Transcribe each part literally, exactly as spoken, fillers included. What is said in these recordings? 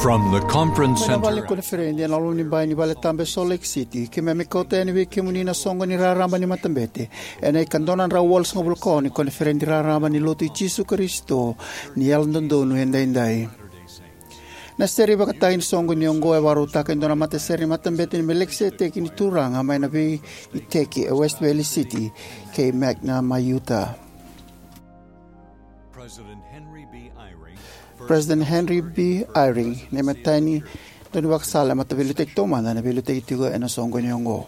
From the conference center. Mai na vale ni koniferedi ena loma ni bai ni vale tabu e Salt Lake City, keimami kauta yani vei kemuni na soqo ni raraba ni matabete ena ikadua na drau walusagavulu ka ono ni koniferedi raraba ni Lotu i Jisu Karisito ni Yalododonu Edaidai. Na sere vakataki ni soqo ni oqo e vakarautaka e dua na matasere ni matabete ni Melikiseteki ni Turaga mai na veiiteki e West Valley City kei Magna mai Utah. President Henry B. Eyring, na imatai ni daunivakasala e mataveiliutaki taumada ena veiliutaki tiko ena soqoni oqo.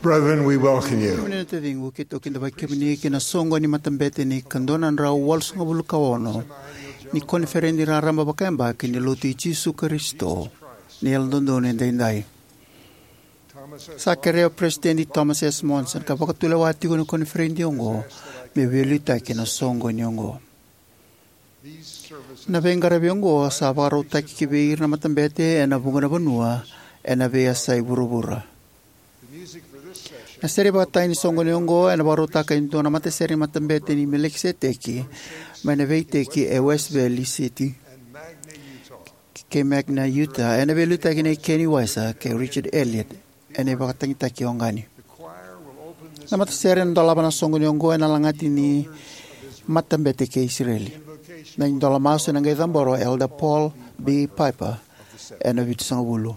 Brethren, we welcome you. Kemuni na taciqu, keitou kidavaki kemuni ki na soqo ni matabete ni ikadua na drau walusagavulu ka ono ni koniferedi raraba vakayabaki ni Lotu i Jisu Karisito ni Yalododonu Edaidai. Sa kerea o Peresitedi Thomas S. Monson ka vakatulewa tiko na koniferedi oqo me veiliutaki ena soqoni oqo. Na veiqaravi oqo sa vakarautaki ki vei ira na matabete ena vuqa na vanua ena veiyasai vuravura. Na sere vakataki ni soqoni oqo ena vakarautaka e dua na matasere ni matabete ni Melikiseteki mai na veiiteki e West Valley City kei Magna, Utah, ena veiliutaki nei Kenny Weiser kei Richard Elliott ena ivakatagitaki oqo. Na matasere ena dolava na soqoni oqo ena lagati ni matabete kei Isireli. Na idola masu ena qai cabora o Elder Paul B. Piper ena vitusagavulu.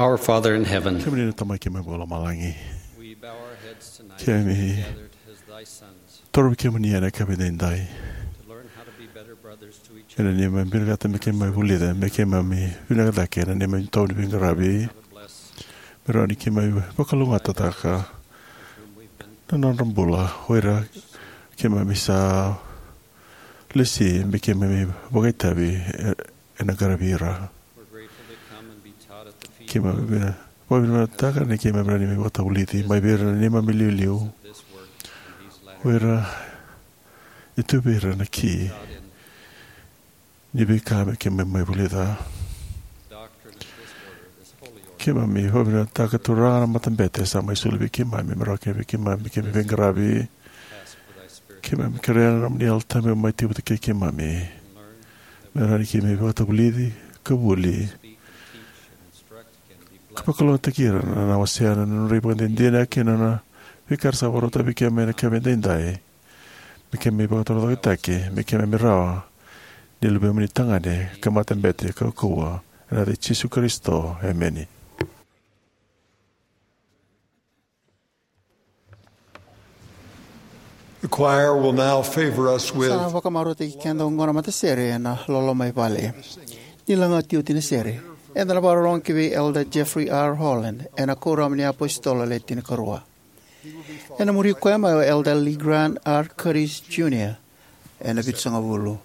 Our Father in heaven, kemuni na Tamai keimami vakalomalagi, we bow our heads tonight, kemuni gathered as thy sons, torovi kemuni ena yakavi edaidai, to learn how to be better brothers to each other, ena neimami vinakata me keimami vulica me keimami vinaka cake ena neimami itavi ni veiqaravi, how to bless, me rawa ni keimami vakalougatataka, whom we've been, na nodra bula o ira keimami sa lesi me keimami vakaitavi e- ena qaravi ira. We're grateful to come and be taught at the feet, keimami vina- vakavinakataka ni keimami rawa ni mai vakatavulici mai vei ira na neimami iliuliu, of this work in these latter, o ira e tu vei ira na ki, taught in, ni veika me keimami mai vulica. Doctrine of this order, this holy order, keimami vakavinakataka, Turaga, na matabete sa mai soli vei keimami me rawa kina vei keimami me keimami veiqaravi. Ask for thy Spirit, keimami kerea na nomuni Yalo Tabu me mai tekivu vata kei keimami, and learn, me rawa ni keimami vakatavulici ka vuli, speak and teach and instruct, ka vakalougatataki ira na wasea na nodra ivakadinadina kei na veika era sa vakarautaka vei keimami ena yakavi edaidai, me keimami vakatorocaketaki, me keimami rawa ni luvemuni tagane ka matabete kaukauwa. Ena yaca i Jisu Karisito, emeni. The choir will now favor us with, sa na vakamarautaki keda oqo na matasere ena loloma i vale. Ni lagati oti na sere, eda na vakarorogo ki vei Elder Jeffrey R. Holland ena Kuoramu ni iApositolo Le Tinikarua. Ena muri koya mai o Elder Legrand R. Curtis Junior ena Vitusagavulu.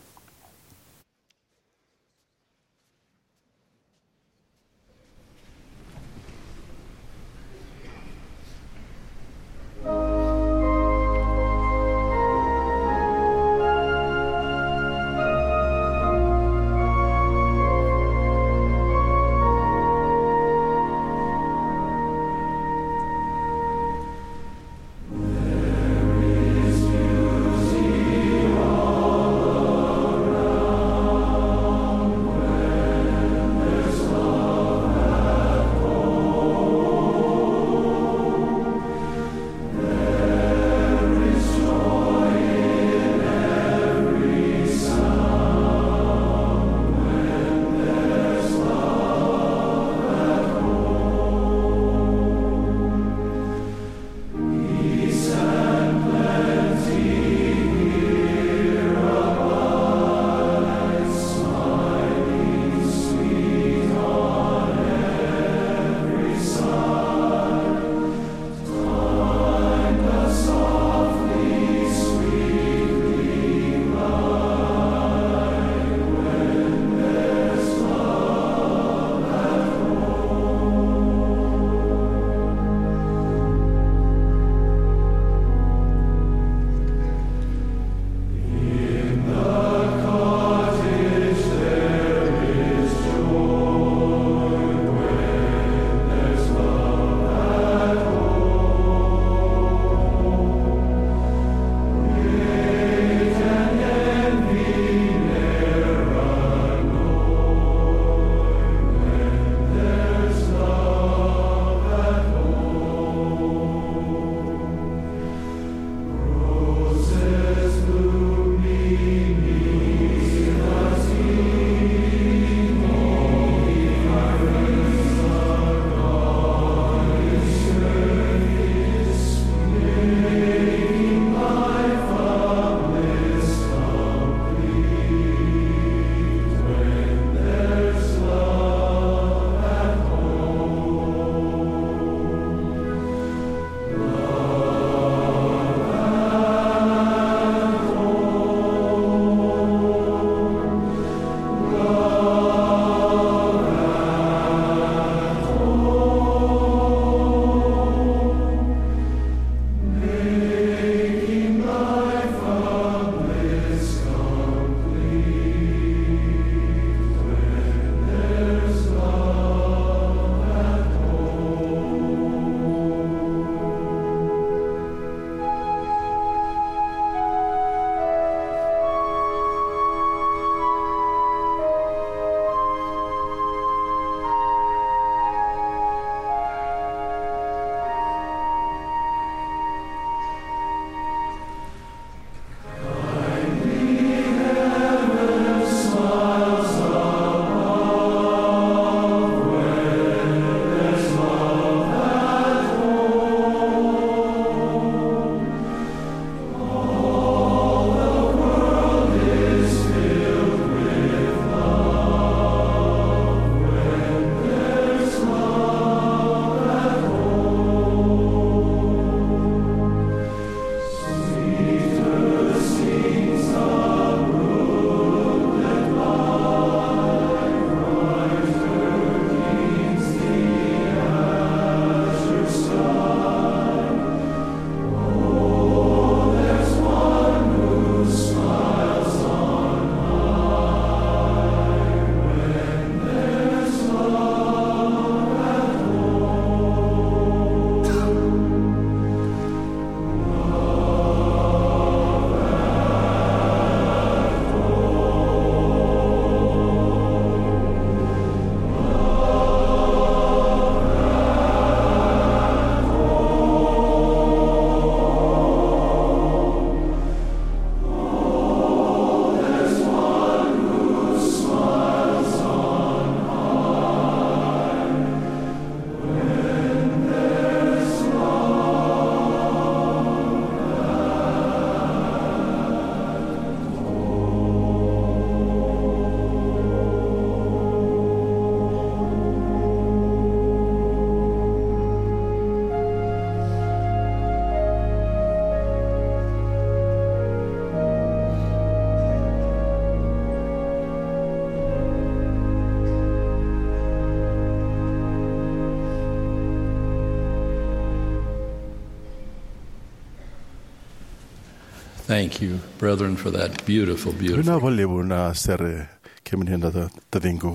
Thank you, brethren, for that beautiful, beautiful. Vinaka vakalevu na sere, kemuni na ta- taciqu.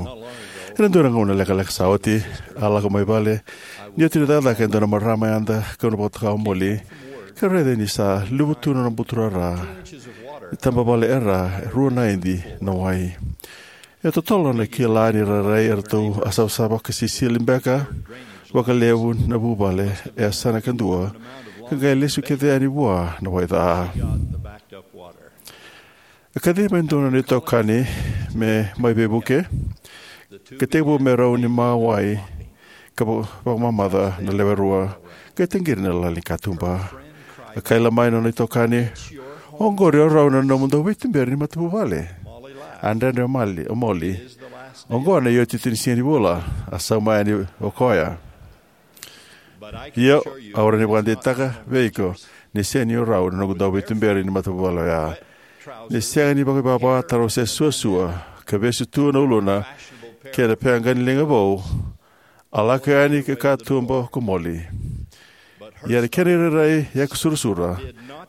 Ena dua na gauna lekaleka sa oti, a lako mai vale. Ni oti na cakacaka e dua na marama yada, kau na vakatoka o Molly. Ka raica ni sa luvu tu na nona buturara. Ni taba vale era, rua na idi na wai. E totolo na kila ni rairai eratou a savasava ka sisili beka vakalevu na vuvale e yasana kadua, ka qai lesu kece yani vua na wai ca. E kacivi mai dua na nona itokani me mai veivuke, ka tekivu me rauni mawai ka va- vakamamaca na lewe rua, ka taqiri na lali ni katuba. A kaila mai na nona itokani, "Oqori o rau na nomu dauveituberi ni matavuvale." A dredre o Mali, o Molly. "Oqo na iotioti ni siga ni vula," a sauma yani o koya. "Io, au rawa ni vakadeitaka vei iko ni sega ni o rau na noqu dauveituberi ni matavuvale oya." Ni sega ni vakaivava, taro se suasua, ka vesu tu na uluna kei na pea qaniliga vou, a lako yani ki katuba ko Molly. Ia na kena irairai yakasurasura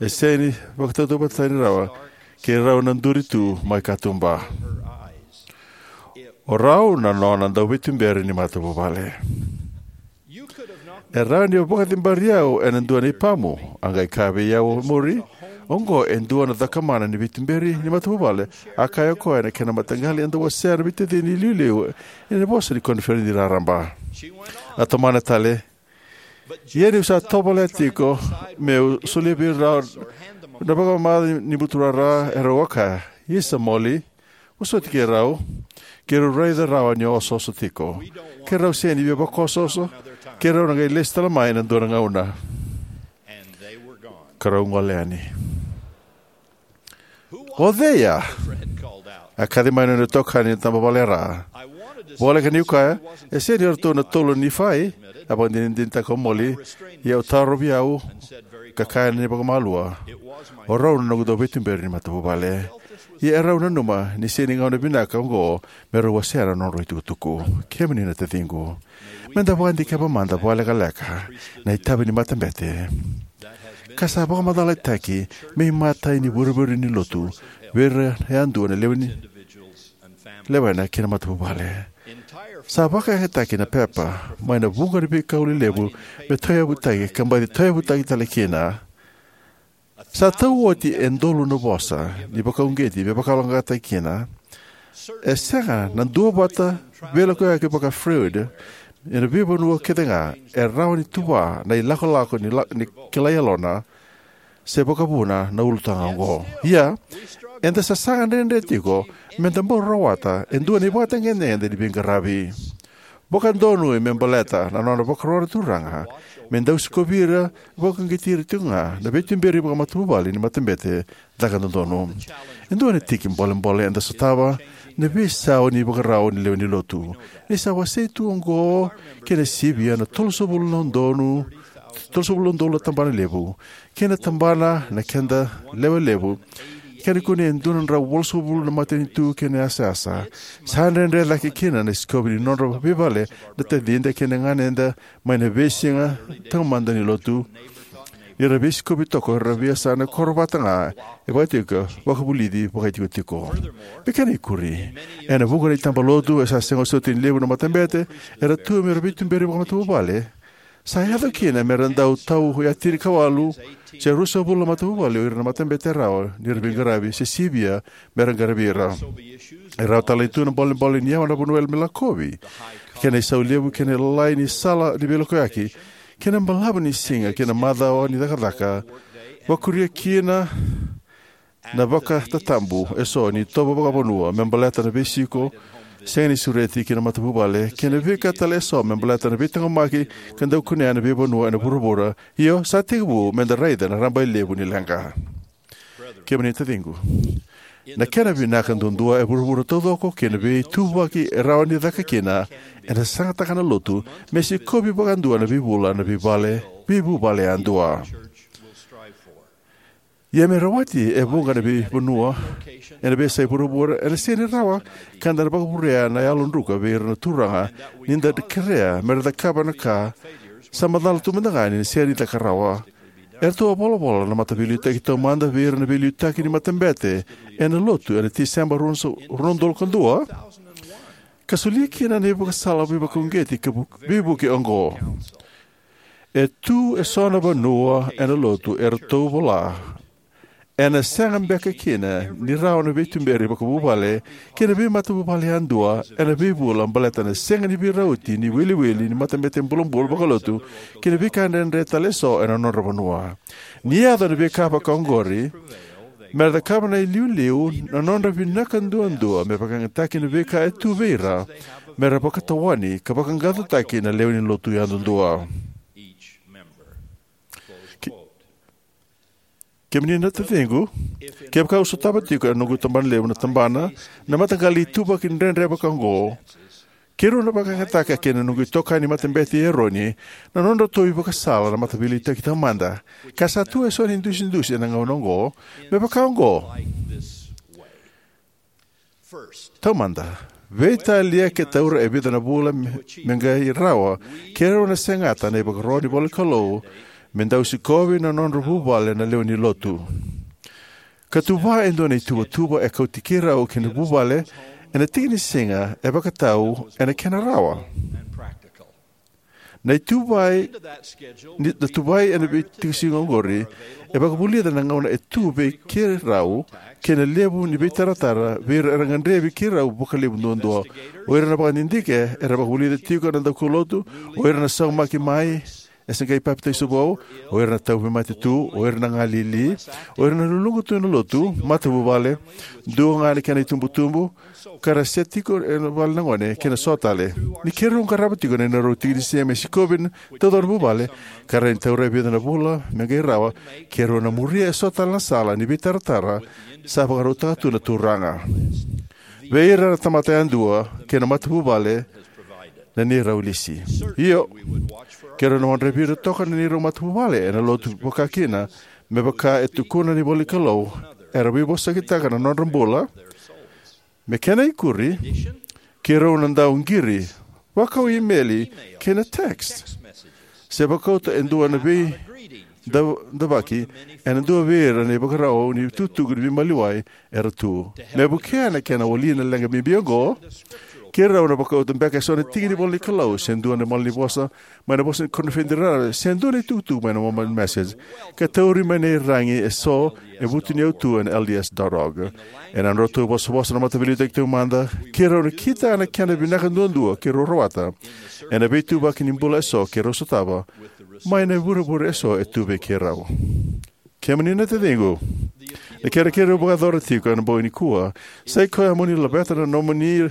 e sega ni vakatautauvatatani rawa kei rau na duri tu mai katuba. "O rau na nona dauveituberi ni matavuvale." "E rawa ni o vakacibari au ena dua na ipamu," a qai kaya vei au o muri. "Oqo e dua na cakamana ni veituberi ni matavuvale," a kaya o koya ena kena mataqali eda wasea na veitacini iliuliu ena vosa ni koniferedi raraba. A tomana tale, "Ia niu sa tovolea tiko meu solia vei rau na vakamamaca ni buturara, erau a kaya, 'Isa, Molly, vosoti keirau, keirau raica rawa ni o osooso tiko.' Keirau sega ni via vakaosooso, keirau na qai lesu tale mai ena dua na gauna." Ka rau gole yani. "O cei ya?" a kaci mai na nona itokani ni taba vale ra. Voleka niu kaya, e sega ni o ratou na tolu na Nifai, a vakadinadinataka o Molly, ia au tarovi au, ka kaya ni vakamalua, "O rau na noqu dauveituberi ni matavuvale." Ia e rau nanuma ni sega ni gauna vinaka oqo me rau wasea na nodrau itukutuku. Kemuni na taciqu, meda vakadikeva mada vakalekaleka na itavi ni matabete ka sa vakamacalataki me imatai ni vurevure ni lotu vei ira yadua na lewe ni lewena kei na matavuvale. Sa vakayagataki na pepa mai na vuqa ni veikau lelevu me tauyavutaki ka baci tauyavutaki tale kina. Sa tau oti e dolu na vosa ni vakauqeti me vakayaloqaqataki kina. E sega na duavata veilakoyaki vaka-Freud ena veivanua kece ga e rawa ni tuva na ilakolako ni, la, ni kilai yalona se vakavuna na ulutaga oqo. Ia, eda sasaga dredre tiko meda bau rawata e dua na ivakatagedegede ni veiqaravi. Vakadonui me baleta na nona vakarua na Turaga me dau sikovi ira, vakauqeti ira tiko ga na veituberi vakamatavuvale ni matabete caka dodonu. E dua na tiki bolebole eda sotava na veisau ni vakarau ni lewe ni lotu. Ni sa wasei tu oqo kei na sivia na tolusagavulu na udolu, tolusagavulu na udolu na tabana levu, kei na tabana na keda lewe levu, kei na kune e dua na drau walusagavulu na matanitu kei na yasayasa. Sa dredre cake kina na sikovi ni nodra veivale na tacida kei na ganeda mai na veisiga taumada ni lotu. Ni ra veisikovi toka era veiyasana koro vata ga e vakatiko vakavulici vakaitikotiko. Me kena ikuri, ena vuqa na itaba lotu e sa sega soti ni levu na matabete era tu me ra veituberi vakamatavuvale. Sa yaco kina me ra dau tau ya tinikawalu se ruasagavulu na matavuvale o ira na matabete rawa ni ra veiqaravi se sivia me ra qaravi ira. E rawa tale tu na bolebole ni yawa na vanua me lakovi, kei na isau levu kei na lalai ni sala ni veilakoyaki, kei na balavu ni siga kei na macawa ni cakacaka. Vakuria kina na vakatatabu eso ni itovo vakavanua me baleta na veisiko sega ni sureti ki na matavuvale, kei na veika tale eso me baleta na veitaqomaki ka dau kunea na veivanua ena vuravura. Io, sa tekivu meda raica na rabailevu ni leqa. Kemuni taciqu, na kena vinaka duadua e vuravura taucoko kei na veituvaki e rawa ni caka kina, ena sasagataka na lotu me sikovi vakadua na veivula na veivale, veivuvale yadua. Ia me rawati e vuqa na veivanua ena veiyasai vuravura, ena sega ni rawa ka da na vakavurea na yalodruka vei ira na turaga ni da kerea me ra cakava na ka sa macala tu mada ga ni sega ni caka rawa. Eratou a volavola na Mataveiliutaki Taumada vei ira na veiliutaki ni matabete ena Lotu ena Tiseba rua na udolu ka dua, ka solia kina na ivakasala veivakauqeti ka vu-, veivuke oqo: E tu eso na vanua ena Lotu, eratou vola, ena sega beka kina ni rawa na veituberi vakavuvale kei na veimatavuvale yadua ena veivula baleta na sega ni veirauti ni iwiliwili ni matabete bulabula vakalotu kei na veika dredre tale eso ena nodra vanua. Ni yaco na veika vakaoqori, mera cakava na iliuliu na nodra vinaka duadua me vakayagataki na veika e tu vei ira mera vakatawani ka vaqaqacotaki na lewe ni Lotu yadudua. Ke-, kemuni na taciqu, kevaka au sotava tiko ena noqu tabana levu na tabana na mataqali ituvaki dredre vakaoqo, keirau na vakayagataka kei na noqu itokani matabete i Eroni na nodratou ivakasala na Mataveiliutaki Taumada, ka sa tu eso na idusidusi ena gauna oqo, me vakaoqo. Taumada, veitalia ke taura e vica na vula me, me qai rawa, keirau na segata na ivakaro ni ivolanikalou me dau sikovi na nodra vuvale na lewe ni Lotu. Ka tuva e dua na ituvatuva e kauti keirau kei na vuvale ena tiki ni siga e vakatau ena kena rawa. Na ituvai, ni, na tuvai ena veitiki siga oqori e vakavulica na gauna e tu vei keirau kei na levu ni veitaratara vei ira era gadrevi keirau vakalevu duadua. O ira na vakadidike era vakavulica tiko na daukaulotu, o ira na saumaki mai e se qai papitaiso vou, o ira na tauvimate tu, o ira na galili, o ira na luluqa tu ena Lotu, matavuvale, dua ga na kena itubutubu, ka ra se tiko ena vale na gone kei na so tale. Ni keirau qarava tiko na neirau tiki ni siga me sikovi taucoko na vuvale, ka rawa ni taura e vica na vula me qai rawa, keirau na muria eso tale na sala ni veitaratara sa vakarautaka tu na Turaga vei ira na tamata yadua kei na matavuvale na neirau lisi. Io, keirau na wadravi ira toka na neirau matavuvale ena Lotu vakakina, me vaka e tukuna na ivolanikalou, era veivosakitaka na nodra bula. Me kena ikuri, keirau na dau qiri, vakau imeli kei na text, se vakauta e dua na veidavaki ena dua vei ira na ivakarau ni itukutuku ni veimaliwai era tu. Me vukea na kena wali na leqa bibi oqo, keirau na vakauta beka eso na tiki ni ivolanikalou, se dua na malanivosa mai na Vosa ni Koniferedi Raraba, se dua na itukutuku mai na Mormon Message, ka tauri mai na iragi eso e vutuniyau tu ena L D S dot org. Ena nodratou vosavosa na Mataveiliutaki Taumada, keirau na kitaka na kena vinaka duadua keirau rawata ena veituvaki ni bula eso keirau sotava mai na ivurevure eso e tu vei keirau. Kemuni na taciqu, na kerekere au vakayacora tiko ena bogi nikua sa ikoya mo ni laveta na nomuni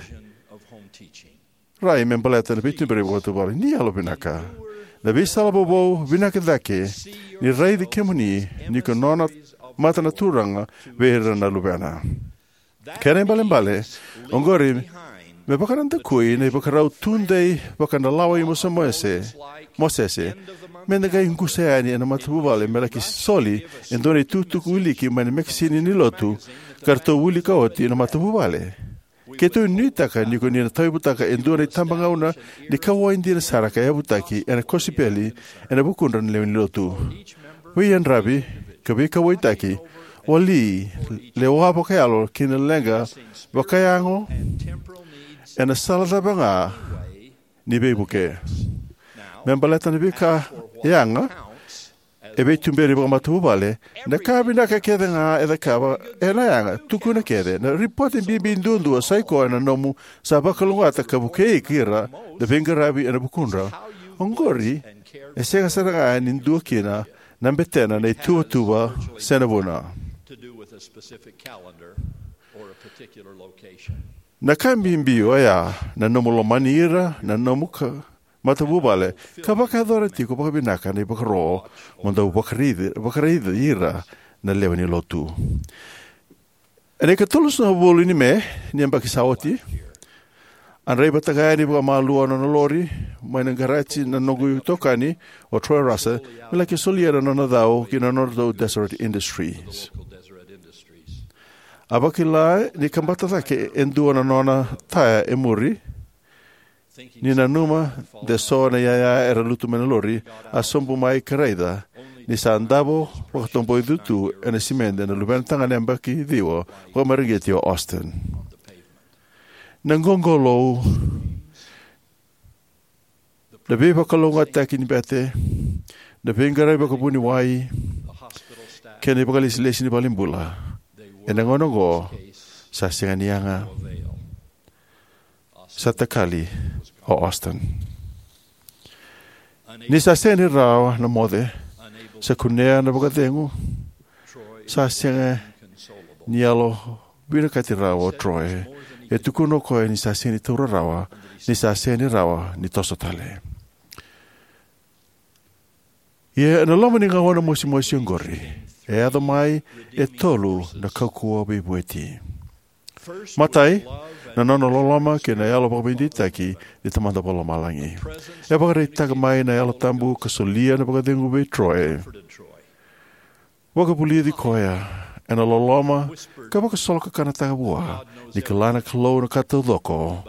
rai me baleta na veituberi vakavuvale. Ni yalovinaka. Na veisala vovou vinaka cake ni raici kemuni ni ko nona mata na Turaga vei ira na luvena. Kena ibalebale oqori, me vakanadakui na ivakarau tudei vakadalawa i Mose, Mosese, me da qai qusa yani ena matavuvale me laki soli e dua na itukutuku wiliki mai na mekesini ni Lotu ka ratou wilika oti na matavuvale. Keitou nuitaka ni ko ni na tauyavutaka e dua na itabagauna ni kauwai dina sara ka yavutaki ena kosipeli ena vukudra na lewe ni Lotu. Veiyadravi ka veikauwaitaki, wali, lewa vakayalo kei na leqa vakayago ena sala cava ga ni veivuke. Me baleta na veika yaga e veituberi vakamatavuvale, na ka vinaka kece ga e cakava ena yaga, tukuna kece na ripote bibi duadua sa ikoya na nomu sa vakalougatataka ka vukei ira na veiqaravi ena vukudra. Oqori e sega sara ga ni dua kina na betena na ituvatuva se na vuna. Na ka bibi oya na nomu lomani ira na nomu ka, matavuvale, ka vakayacora tiko vakavinaka na ivakaro mo dau vakaraici, vakaraici ira na lewe ni Lotu. Ena ikatolusagavulu ni Me ni yabaki sa oti, a draivataka yani vakamalua na nona lori mai na qaraji na noqu itokani o Troy Russell me laki solia na nona cau ki na nodratou Deseret Industries. A vakila ni kabata cake e dua na nona taya e muri. Ni nanuma de so na iyaya era lutu mai na lori, a sobu mai ka raica ni sa davo vakatoboicu tu ena simede na luvena tagane yabaki ciwa vakamareqeti o Austen. Na qoqolou, na veivakalougatataki ni bete, na veiqaravi vakavuniwai, kei na ivakalesilesi ni valenibula, ena gauna oqo sa sega ni yaga. Sa takali o Austen. Ni sa sega ni rawa na moce, sa kunea na vakacegu, sa sega ni yalo vinakati rawa o Troy. E tukuna o koya ni sa sega ni taura rawa, ni sa sega ni rawa ni toso tale. Ia ena loma ni gauna mosimosi oqori, e yaco mai e tolu na kaukauwa veivueti. Matai, na nona loloma kei na yalo vakaveideitaki ni Tamada Vakalomalagi. E vakaraitaka mai na Yalo Tabu ka solia na vakacegu vei Troy. Vakavulici koya ena loloma ka vakasolokakanataka vua ni kila na Kalou na ka taucoko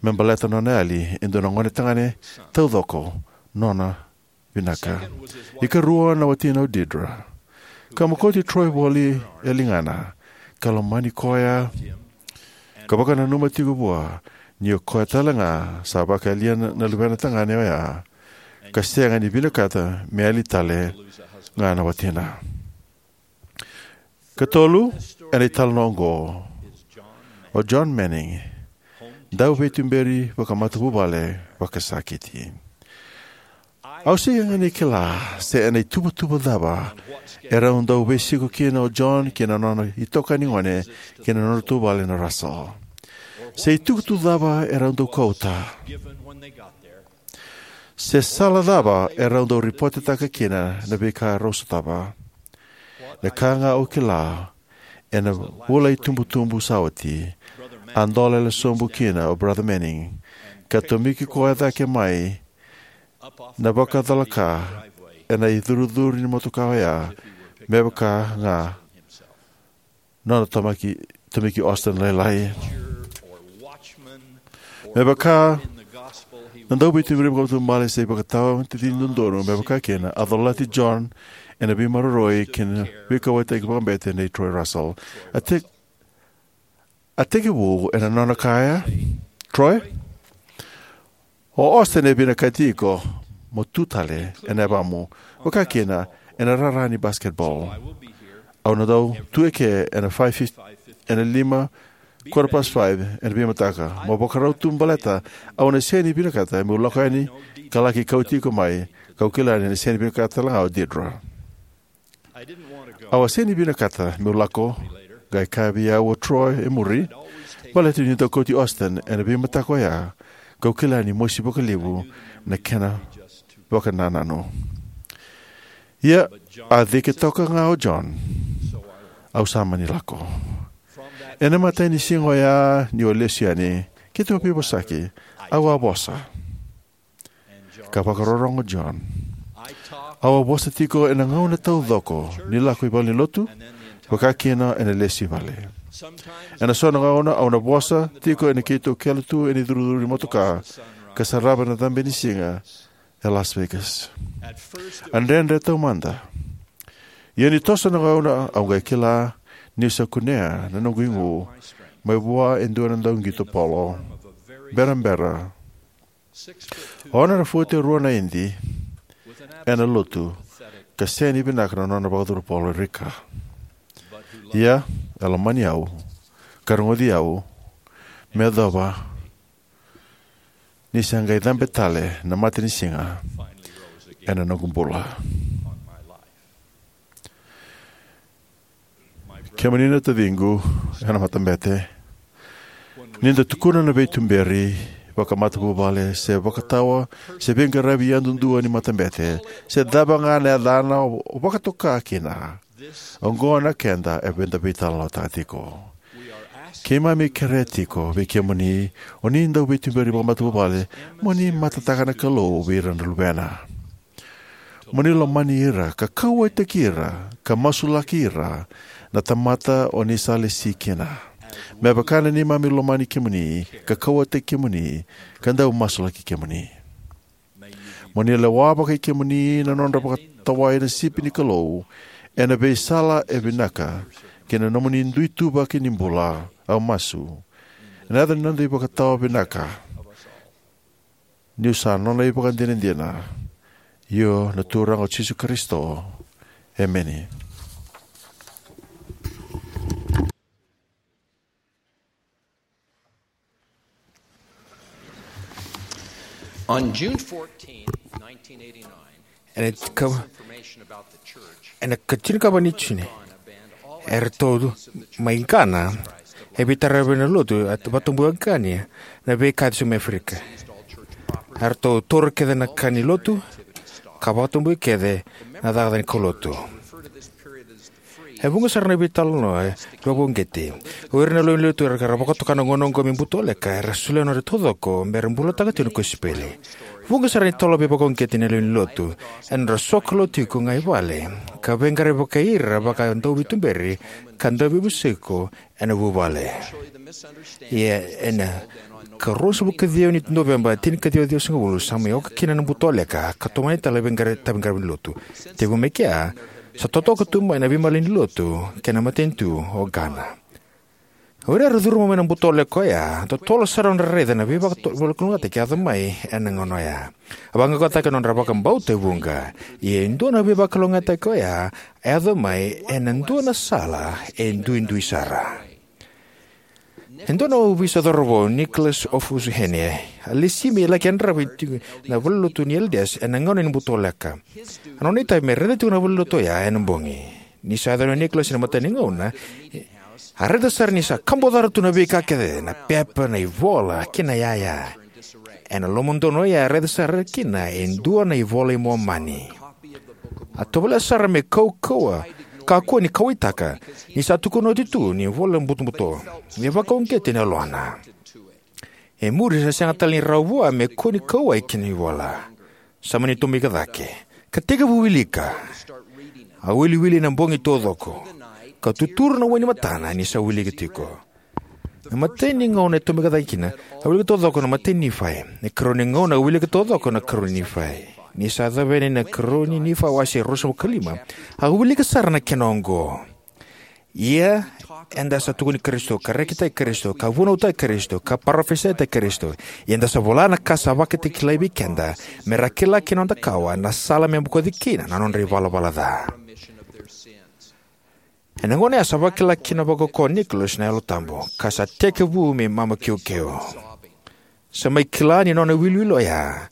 me baleta nona yali e dua na gonetagane taucoko nona vinaka. Ikarua na watina o Deedra, ka mokoti Troy voli e ligana ka lomani koya, ka vakananuma tiko vua ni o koya tale ga sa vakayalia na, na luvena tagane oya, ka sega ni vinakata me yali tale ga na watina. Katolu, ena italanoa oqo, o John Manning, dauveituberi vakamatavuvale vakasakiti. Au sega ni kila se ena ituvatuva cava erau dau veisiko kina o John kei na nona itokani gone kei na nodratou vale na Russell, se itukutuku cava erau dau kauta, se sala cava erau dau ripotetaka kina na veika erau sotava. Na ka ga au kila, ena vula itubutubu sa oti, a dolele sobu kina o Brother Manning, ka tomiki koya cake mai na vakacalaka ena icurucuru ni motoka oya, me vaka ga nona tomaki, tomiki Austen lailai. Me vaka na dauveituberi vakamatavuvale se ivakatawa ni tacini dodonu, me vaka kina, a colati John ena veimaroroi kei na veikauwaitaki vakabete nei Troy Russell. A te-, a tekivu ena nona kaya, Troy, o Austen e vinakati iko mo tu tale ena yavamu, vaka kina ena rara ni basketball. Au na dau tu eke ena five fifty, ena lima, quarter past five ena veimataka. Mo vakarau tu baleta au na sega ni vinakata meu lako yani ka laki kauti iko mai, kau kila ni na sega ni vinakata tale ga o Deedra. Au a sega ni vinakata meu lako, qai kaya vei au o Troy e muri, baleta niu dau kauti Austen ena veimataka oya, kau kila ni mosi vakalevu na kena vakanananu. Ia, a cike toka ga o John, au sa mani lako. Ena imatai ni siga oya niu a lesu yani, keitou a veivosaki, au a vosa. Ka vakarorogo o John. Au a vosa tiko ena gauna taucoko ni lako i valenilotu, vaka kina ena lesu i vale. Ena so na gauna au na vosa tiko ena keitou kele tu ena icurucuru ni motoka, ka sarava na cabe ni siga e Las Vegas. A dredre taumada. Ia ni toso na gauna au qai kila niu sa kunea na noqu igu mai vua e dua na dauqito polo. Berabera. Ono na futi rua na idi ena lotu, ka sega ni vinaka na nona vakacuru polo rika. Ia, e lomani au, ka rogoci au, me yacova ni sa qai cabe tale na matanisiga ena noqu bula. Kemuni na taciqu ena matabete, ni da tukuna na veituberi vakamatavuvale se vakatawa se veiqaravi yadudua ni matabete, se cava ga na yacana o vakatoka kina, oqo na keda eda veitalanoataka tiko. Keimami kerea tiko vei kemuni, o ni dauveituberi vakamatavuvale, mo ni matataka na Kalou vei ira na luvena. Mo ni lomani ira, ka kauwaitaki ira, ka masulaki ira na tamata o ni sa lesi kina, me vaka na neimami lomani kemuni, ka kauwaitaki kemuni, ka dau masulaki kemuni. Mo ni lewa vakai kemuni na nodra vaka-, vakatawai na sipi ni Kalou ena veisala e vinaka ki na nomuni dui ituvaki ni bula. Au masu ena yaca ni noda iVakatawa vinaka, niu sa nona ivakadinadina, io na Turaga o Jisu Karisito. Emeni. On June fourteenth, nineteen eighty-nine, ena ka, information about the church ena ka tinikava ni June, eratou mai Ghana e veitaravi na lotu a vakatabui Ghana na veika e so mai Aferika. Eratou taura kece na ka ni lotu ka vakatabui kece na cakacaka ni kaulotu. E vuqa sara na veitalanoa e vakauqeti. O ira na lewe ni lotu era vakatoka na gauna oqo me butoleka era solia na nodra taucoko me ra bulataka tiko na kosipeli. Vuqa sara na talo veivakauqeti na lewe ni lotu ena nodra sokalou tiko ga i vale ka veiqaravi vakai ira vaka dauveituberi ka dauveivuke ena vuvale. Ia ena ka rua na vakaciwa ni Noveba, tinikaciwa ciwasagavulu, sa mai oka kina na butoleka ka tomani tale na veiqaravi, veiqaravi ni lotu. Tekivu mai kea, sa totoka tu mai na veimalanilotu kei na matanitu o Ghana. O ira era curuma mai na butoleka oya, totolo sara nodra raica na veivakalougatataki e yaco mai ena gauna oya. A vaqaqacotaka na nodra vakabauta e vuqa. Ia e dua na veivakalougatataki oya a yaco mai ena dua na sala e duidui sara. E dua na ovisa cauravou, Nicholas Ofusuhene, a lesi me laki yadrava tiko na valenilotu ni Elders ena gauna ni butoleka. A nona itavi me raica tiko na valenilotu oya ena bogi. Ni sa yaco o Nicholas ena imatai ni gauna, a raica sara ni sa kabocara tu na veika kece, na pepa, na ivola kei na iyaya. Ena lomadonu oya a raica sara kina e dua na iVola i Momani. A tovolea sara me kaukauwa, kakua ni kauwaitaka, ni sa tukuna oti tu ni vola butobuto. Me vakauqeti na yalona. E muri sa sega tale ni rawa vua me kua ni kauwai kina ivola. Sa mani tomika cake ka tekivu wilika. A wiliwili ena bogi taucoko ka tuturu na wai ni matana ni sa wilika tiko. Na imatai ni gauna e tomika cake kina, a wilika taucoko na imatai ni Nifai. Na ikarua ni gauna a wilika taucoko na ikarua ni Nifai. Ni sa yaco yani na ikarua ni Nifai wase ruasagavulu ka lima, a wilika sara na kena oqo. Ia eda sa tukuni Karisito, ka rekitaki Karisito, ka vunautaki Karisito, ka parofisaitaki Karisito. Ia eda sa vola na ka sa vakatakilai vei keda, me ra kila kina noda kawa na sala me bokoci kina na nodra ivalavala ca. Ena gauna ya sa vakila kina vakaukauwa o Nicholas na Yalo Tabu, ka sa tekivu me mamakiukeu. Sa mai kila ni nona wiliwili oya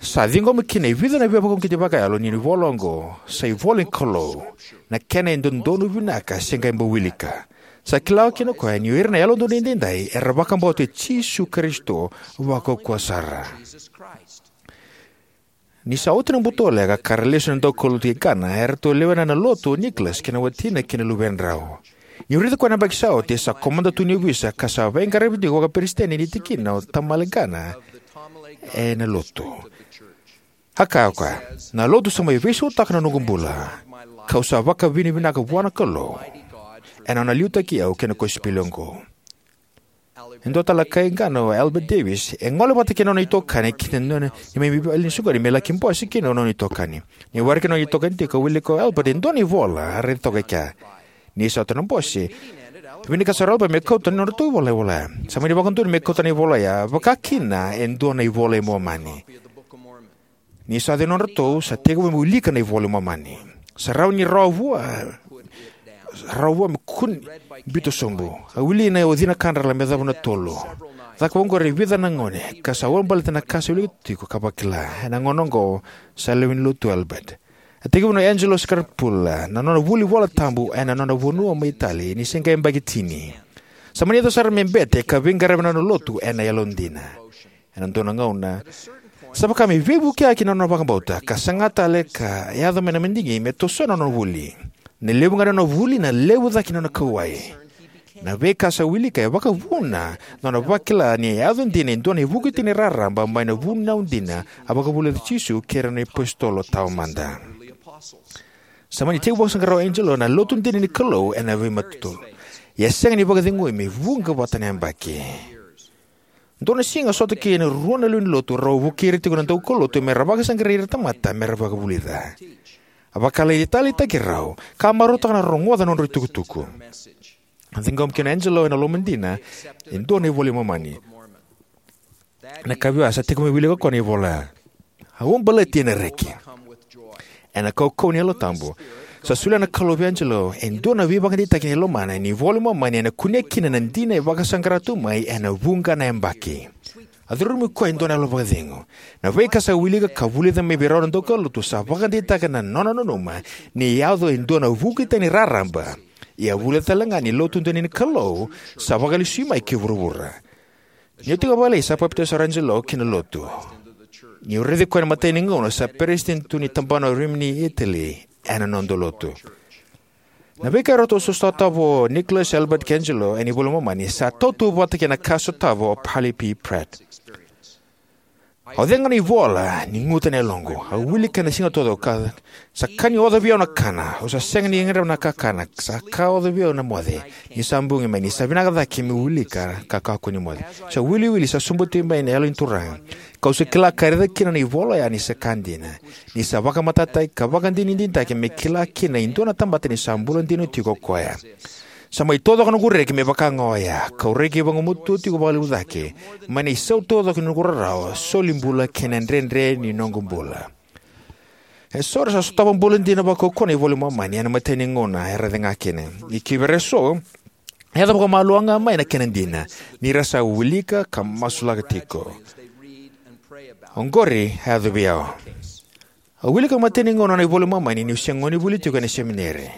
sa ciqoma kina e vica na veivakauqeti vakayalo ni ivola oqo sa ivola ni Kalou, na kena e dodonu vinaka se qai bau wilika. Sa kila kina o koya ni o ira na Yalododonu Edaidai era vakabauta Jisu Karisito vakaukauwa sara. Ni sa oti na butoleka ka ra lesu na daukaulotu ki Ghana, eratou lewena na lotu o Nicholas kei na watina kei na luvedrau. Niu raica koya na yabaki sa oti, sa komada tu ni ovisa ka sa veiqaravi tiko vakaperesitedi ni tikina o Tamale Ghana ena lotu. A kaya o koya, na lotu sa mai veisautaka na noqu bula, kau sa vakavinavinaka vua na Kalou ena nona liutaki au kei na kosipeli oqo. E dua tale na kai Ghana o Albert Davis, e gole vata kei na nona itokani ki na nona ni mai vale ni soqoni me laki bose kina o nona itokani. Ni waraki na nona itokani tiko, a wilika o Albert e dua na ivola a raica toka e kea. Ni sa oti na bose, e vinaka sara o Albert me kauta na nodratou ivola, ivola ya. Sa mani vakadonui me kauta na ivola ya, vaka kina e dua na iVola i Momani. Ni sa yaco nodratou, sa tekivu me wilika na iVola i Momani. Sa rawa ni rawa vua, sa rawa vua me kua ni biuta sobu. A wili na o cina kadra me yacova na tolu. Caka vaqori e vica na gauna, ka sa ulabaleta na ka sa wilika tiko ka vakila. Ena gauna oqo, sa lewe ni lotu o Albert. A tekivu o Angelo Scarpula na nona vuli iVola Tabu ena nona vanua mai Itali ni se qai yabaki tini. Sa mani yaco sara me bete ka veiqaravi ena nona lotu ena yalodina. Ena dua na gauna, sa vaka me veivukiyaki na nona vakabauta, ka saga tale ka yaco mai na madigi me tosoya na nona vuli. Na levu ga ni nona vuli, na levu cake ni nona kauwai. Na veika sa wilika e vakavuna na nona vakila ni a yaco dina e dua na ivukitikiti ni raraba mai na vunau dina a vakavulica o Jisu kei ira na iapositolo taumada. Sa mani tekivu vakasaqara o Angelo na lotu dina ni Kalou ena veimatolu. Ia sega ni vakacegui me vuqa vata na yabaki. Dua na siga sota kina e rua na lewe ni lotu, rau vukei ira tiko na daukaulotu me ra vakasaqarai ira na tamata me ra vakavulica. A vakataleitaki rau ka marautaka na rogoca na nodrau itukutuku. A ciqoma kina o Angelo ena lomadina e dua na iVola i Momani. Na ka vei au, sa tekivu meu wilika o koya na ivola ya. Au baleti ena reki. Ena kaukauwa ni Yalo Tabu, sa solia na Kalou vei Angelo e dua na veivakadeitaki ni lomana ni iVola i Momani ena kunea kina na dina e vakasaqara tu mai ena vuqa na yabaki. A curumi koya e dua na yalo vakacegu. Na veika sa wilika ka vulica mai vei rau na daukaulotu sa vakadeitaka na nona nanuma ni yaco e dua na vuki tani raraba. Ia a vulica tale ga ni Lotu dina ni Kalou sa vakalesui mai ki vuravura. Niu tiko vakalailai sa papitaiso o Angelo ki na Lotu. Niu raici koya ena imatai ni gauna, sa peresitedi tu ni tabana o Rimini, Italy, ena noda lotu. Na veika e ratou sotava o Nicholas, Albert, kei Angelo ena iVola i Momani sa tautauvata kei na ka sotava o Parley P. Pratt. Au cega na ivola ni guta na yaloqu. Au wilika ena siga taucoko. Sa ka ni oca vei au na kana. Au sa sega ni gadreva na kakana. Sa ka oca vei au na moce. Ni sa bogi mai, ni sa vinaka cake meu wilika ka kakua ni moce. Sa wiliwili sa sobuti mai na Yalo ni Turaga. Kau sa kila ka raica kina na ivola oya ni sa ka dina. Ni sa vakamatatataki ka vakadinadinataki me kila kina e dua na tamata ni sa bula dina tiko o koya. Sa mai taucoko noqu reki me vaka ga oya, kau reki vagumatua tiko vakalevu cake mai na isau taucoko ni noqu rarawa, soli bula kei na dredre ni noqu bula. Eso era sa sotava bula dina vakaukauwa na iVola i Momani ena imatai ni gauna era cega kina. Ia kivei ira eso, e yaco vakamalua ga mai na kena dina ni ra sa wilika ka masulaka tiko. Oqori a yaco vei au. Au wilika ena imatai ni gauna na iVola i Momani niu se gonevuli tiko ena semineri.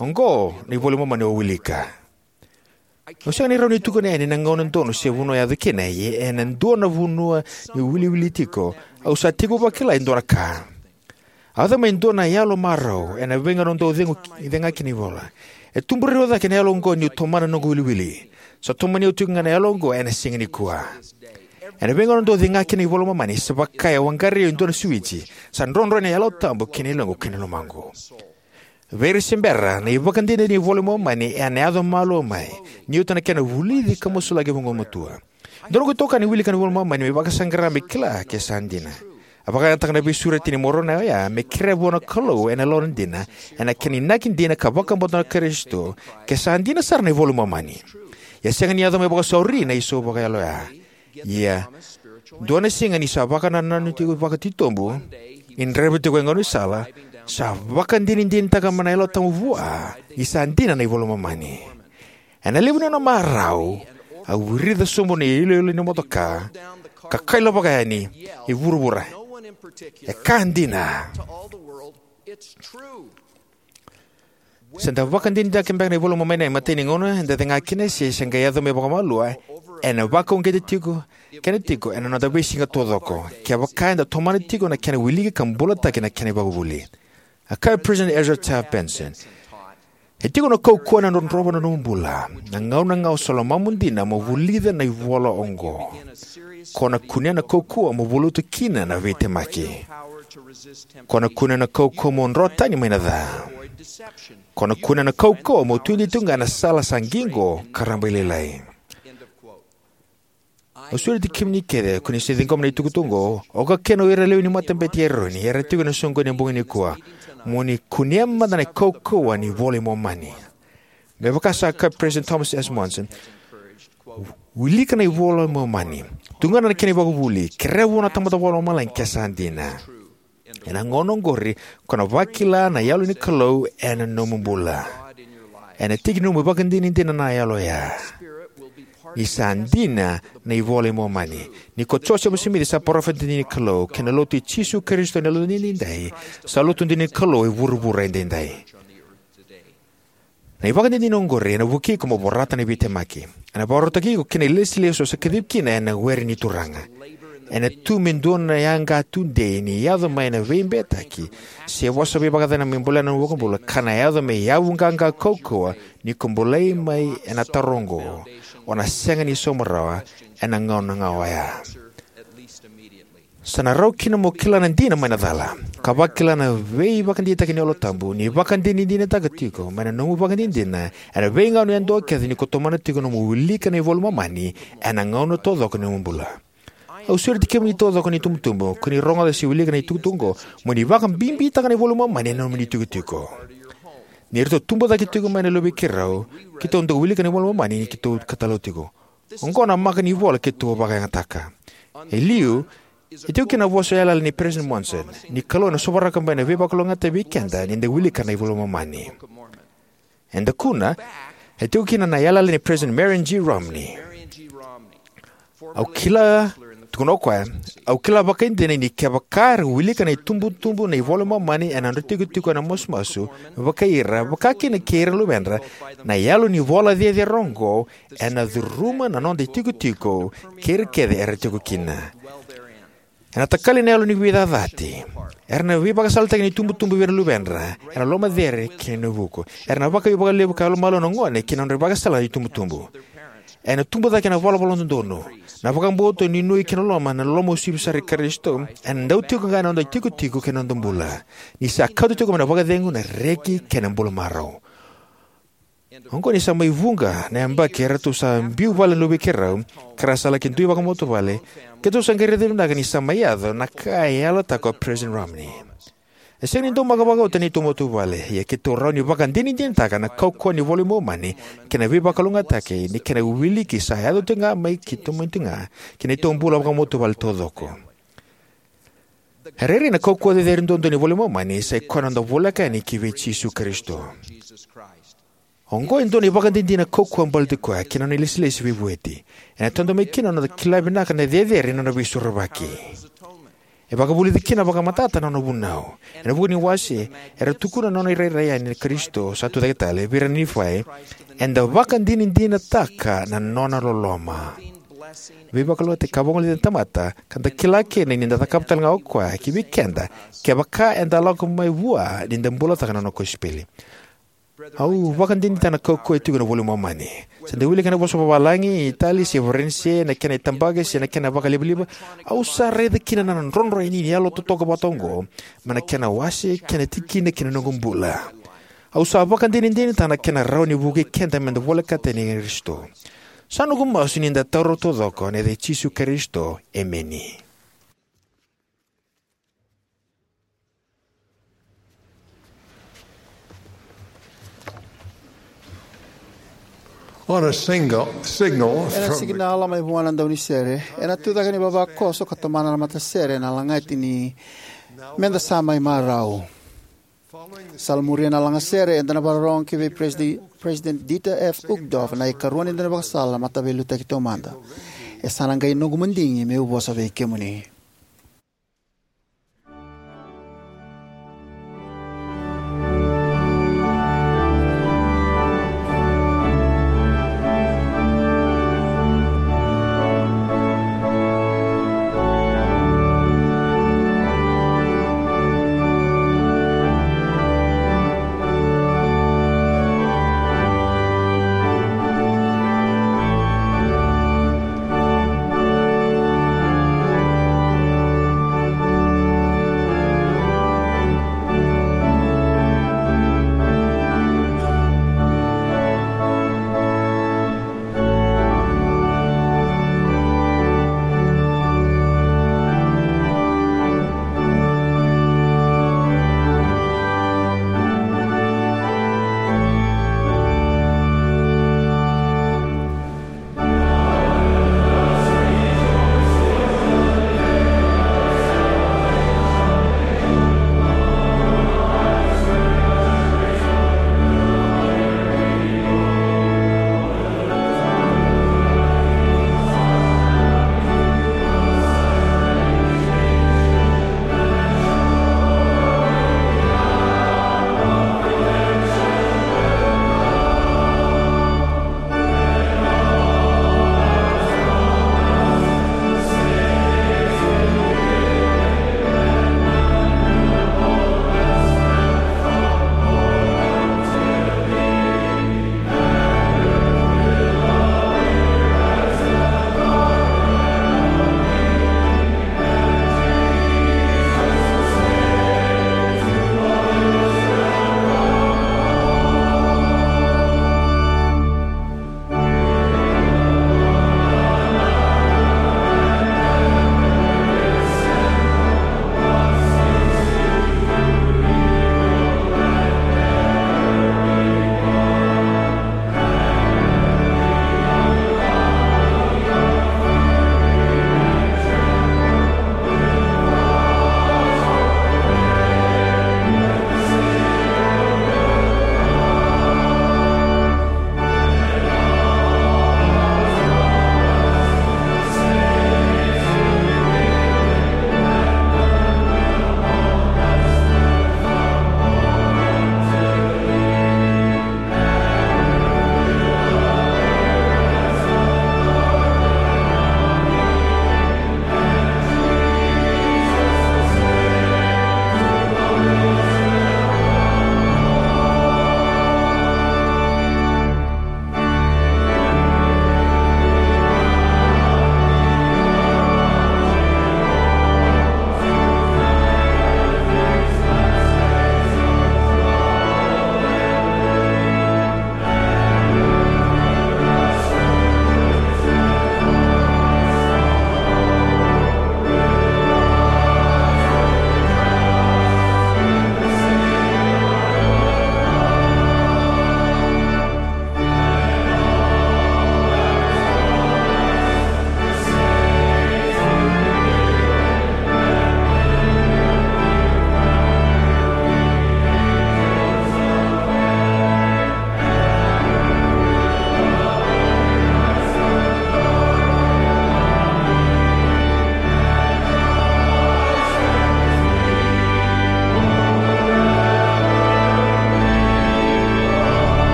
Oqo na iVola i Momani au wilika. Au sega ni rawa ni tukuna yani na gauna donu se vanua e yaco kina, ia ena dua na vanua niu wiliwili tiko, au sa tekivu vakila e dua na ka. A yaco mai e dua na yalo marau ena veigauna au dau cegu, cega kina ivola. E tubu rairai cake na yalo oqo niu tomana na noqu wiliwili. Sa tomani au tiko ga na yalo oqo ena siga nikua. Ena veigauna au dau cega kina iVola i Momani, sa vaka e waqarai au e dua na suici. Sa drodro na Yalo Tabu ki na yaloqu kei na lomaqu. Vei ira se bera, na ivakadinadina ni iVola i Momani ena yaco malua mai ni oti na kena vulici ka masulaki vagumatua. Dua noqu itokani e wilika na iVola i Momani me vakasaqara me kila ke sa dina. A vakayagataka na veisureti ni Moronai oya me kerea vua na Kalou ena lawa dina, ena kena inaki dina ka vakabauta na Karisito, ke sa dina sara na iVola i Momani. Ia sega ni yaco mai vakasauri na isau vakayalo oya. Ia, dua na siga ni sa vakanananu tiko vakatitobu, ni draiva tiko e gaunisala, sa vakadinadinataka mai na Yalo Tabu vua ni sa dina na iVola i Momani. Ena levu ni nona marau, a wirica sobu na iloilo ni motoka, ka kailavaka yani i vuravura, "E ka dina!" Se da vakadinadinataka beka na iVola i Momani ena imatai ni gauna eda cega kina, se se qai yaco mai vakamalua, ena vakauqeti tiko kena tiko ena noda veisiga taucoko, kevaka eda tomana tiko na kena wiliki ka bulataki na kena ivakavuvuli. A kaya o President Ezra Taft Benson, "E tiko na kaukauwa ena drodrova na nomu bula. Na gauna ga o sa lomamu dina mo vulica na ivola oqo, ko na kunea na kaukauwa mo valuta kina na veitemaki. Ko na kunea na kaukauwa mo dro tani mai na ca. Ko na kunea na kaukauwa mo tudei tu ga ena sala sa qiqo ka rabailailai." Au sureti kemuni kece ko ni se ciqoma na itukutuku oqo, oka kina o ira lewe ni matabete i Eroni era tiko ena soqoni ena bogi nikua, mo ni kunea mada na kaukauwa ni iVola i Momani. Me vaka sa kaya o President Thomas S. Monson, "Wilika na iVola i Momani. Tugana na kena ivakavuvuli. Kerea vua na Tamada Vakalomalagi ke sa dina. Ena gauna oqori, ko na vakila na Yalo ni Kalou ena nomu bula. Ena tiki ni nomu ivakadinadina na Yalo oya. Ni sa dina na iVola i Momani. Ni ko Josefa Simici sa parofita dina ni Kalou, kei na Lotu i Jisu Karisito ni Yalodina Edaidai, sa Lotu dina ni Kalou e vuravura edaidai." Na ivakadinadina oqori ena vukei iko mo vorata na veitemaki. Ena vakarautaki iko ki na ilesilesi o sa kacivi kina ena were ni Turaga. Ena tu me dua na yaqa tudei ni yaco mai na veibetaki se vosa veivakacacana me bolea na nomu iVakabula, ka na yaco me yavu qaqa kaukauwa ni ko bolei mai ena taro oqo, o na sega ni sauma rawa ena gauna ga oya. Sa na rawa kina mo kila na dina mai na cala, ka vakila na veivakadeitaki ni Yalo Tabu, ni vakadinadinataka tiko mai na nomu ivakadinadina ena veigauna yadua kece ni ko tomana tiko nomu wilika na iVola i Momani ena gauna taucoko ni nomu bula. Au sureti kemuni taucoko na itubutubu, ko ni rogoca se wilika na itukutuku oqo, mo ni vakabibitaka na iVola i Momani ena nomuni itikotiko. Ni ratou tubu cake tiko mai na luvei keirau, keitou dau wilika na iVola i Momani ni keitou katalou tiko. Oqo na maka ni vola keitou a vakayagataka. E liu, e tiko kina na vosa yalayala nei President Monson, ni Kalou ena sovaraka mai na veivakalougatataki vei keda ni da wilika na iVola i Momani. E dakuna, e tiko kina na yalayala nei President Marion G. Romney. Au kila, tukuna o koya, au kila vakaidina ni kevaka era wilika na itubutubu na iVola i Momani ena nodra itikotiko ena masumasu, me vaka ira, vaka kina kei ira na luvedra, na yalo ni vola cecere oqo ena curuma na noda itikotiko kei ira kece era tiko kina. Ena takali na yalo ni veicacati. Era na veivakasalataki na itubutubu vei ira na luvedra ena loma cecere kei na vuku. Era na vakaiukuuku vakalevu ka yalomalua na gone ki na nodra ivakasala na itubutubu. Ena tubu cake na valavala dodonu, na vakabauta, nuinui kei na loloma, na loloma uasivi sara i Karisito, ena dau tiko ga ena noda itikotiko kei na noda bula, ni sa kauta tiko mai na vakacegu, na reki kei na bula marau. Oqo ni sa mai vuqa na yabaki eratou sa biu vale na luvei keirau, ka ra sa laki dui vakamatavuvale, keitou sa qai raica vinaka ni sa mai yaco na ka e yalataka o President Romney. E sega ni daumaka vakauta na neitou matavuvale, ia keitou rawa ni vakadinadinataka na kaukauwa ni iVola i Momani kei na veivakalougatataki ni kena wiliki sa yaco tiko ga mai keitou mai tiko ga ki na neitou bula vakamatavuvale taucoko. E rairai na kaukauwa cecere duadua ni iVola i Momani, sa i koya na noda voleka yani ki vei Jisu Karisito. Oqo e dua na ivakadinadina kaukauwa baleti koya kei na nona ilesilesi veivueti. Ena tadomi kina na noda kila vinaka na cecere ni nona veisorovaki. E vakavulici kina vakamatata na nona vunau. Ena vuku ni wase, era tukuna na nona irairai yani na Karisito sa tucake tale vei ira na Nifai, eda vakadinadinataka na nona loloma. Veivakalougatataki ka vagolei na tamata, ka da kila kina ni da cakava tale ga o koya ki vei keda, kevaka eda lako mai vua ni da bulataka na nona kosipeli. Au vakadinadinataka na kaukauwa e tiko ena iVola i Momani. Se da wilika ena vosa vakavalagi, Itali se Varanise, na kena itabaki se na kena vakalivaliva, au sa raica kina na drodro yani ni yalo totoka vata oqo mai na kena wase, kena tikina kei na noqu bula. Au sa vakadinadinataka na kena rawa ni vukei keda meda volekata yani kei Karisito. Sa noqu masu ni da taura taucoko ena yaca i Jisu Karisito. Emeni. On a single signal Ena from signal mai vua na daunisere, ena tucake ni vavakoso ka tomana na matasere ena lagati ni Meda Sa Mai Marau. Sa muria na lagasere, eda na vakarorogo ki vei Presidi-, President Dieter F. Uchtdorf, na ikarua ni daunivakasala mataveiliutaki taumada. E sa na qai noqu madigi meu vosa vei kemuni.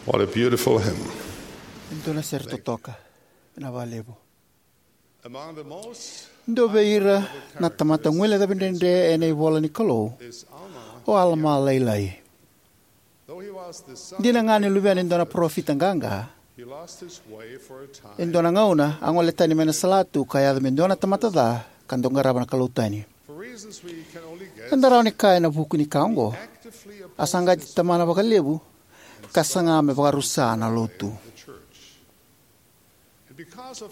What a beautiful hymn. E dua na sere totoka. Vinaka vakalevu. Among the most Dua vei ira na tamata guilecavi dredre ena ivola ni Kalou is Alma. O Alama lailai. Though he was the son Dina ga ni luvena e dua na parofita qaqa, he lost his way for a time. E dua na gauna a gole tani mai na salatu ka yaco me dua na tamata ca ka dau qarava na Kalou tani. For reasons we can only guess, Eda rawa ni kaya ena vuku ni ka oqo, actively a saqati tamana vakalevu ka saga me vakarusa na lotu.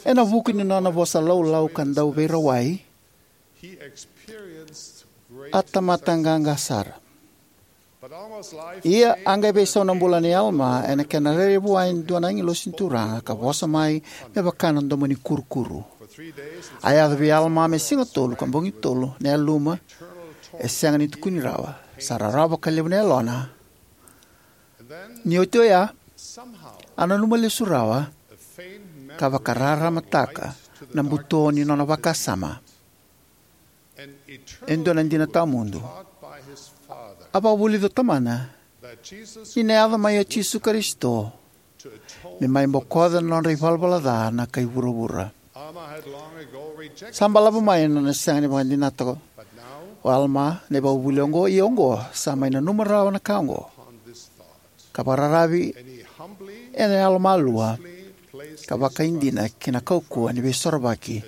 Ena vuku ni nona vosa laulau ka dau veirawai, a tamata qaqa sara. Ia a qai veisau na bula nei Alama ena kena rairai vua e dua na agilosi ni Turaga ka vosa mai me vaka na domo ni kurukuru. A yaco vei Alama me siga tolu ka bogi tolu na yaluma e sega ni tukuni rawa. Sa rarawa vakalevu na yalona. Ni oti oya, a nanuma lesu rawa ka vakararamataka na buto ni nona vakasama. E dua na dina tawamudu. A vakavulica o tamana ni na yaco mai o Jisu Karisito me mai bokoca na nodra ivalavala ca na kai vuravura. Sa balavu mai na nona sega ni vakadinata o Alama na ivakavuvuli oqo, ia oqo sa mai nanuma rawa na ka oqo ka vakararavi ena yalomalua ka vakaidina ki na kaukauwa ni veisorovaki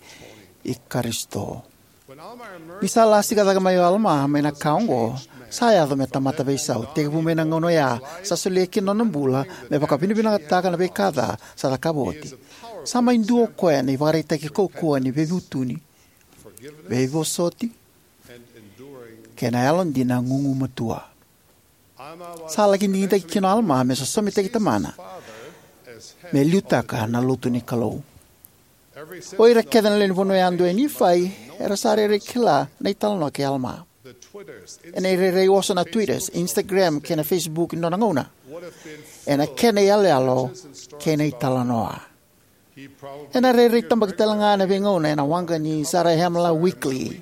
i Karisito. Ni sa lasika cake mai o Alama mai na ka oqo, sa yaco me tamata veisau. Tekivu mai na gauna oya sa solia kina na nona bula me vakavinavinakataka na veika ca sa cakava oti. Sa mai dua o koya na ivakaraitaki kaukauwa ni veivutuni, veivosoti kei na yalodina gugumatua. Sa laki digitaki kina o Alama me sosomitaki tamana me liutaka na lotu ni Kalou. O ira kece na lewe ni vanua yadua e Nifai era sa rairai kila na italanoa kei Alama. Ena irairai oso na Twitters, Instagram kei na Facebook ni nona gauna ena kena iyaloyalo kei na italanoa. Ena rairai tabaki talega ena veigauna ena waqa ni Zarahemla Weekly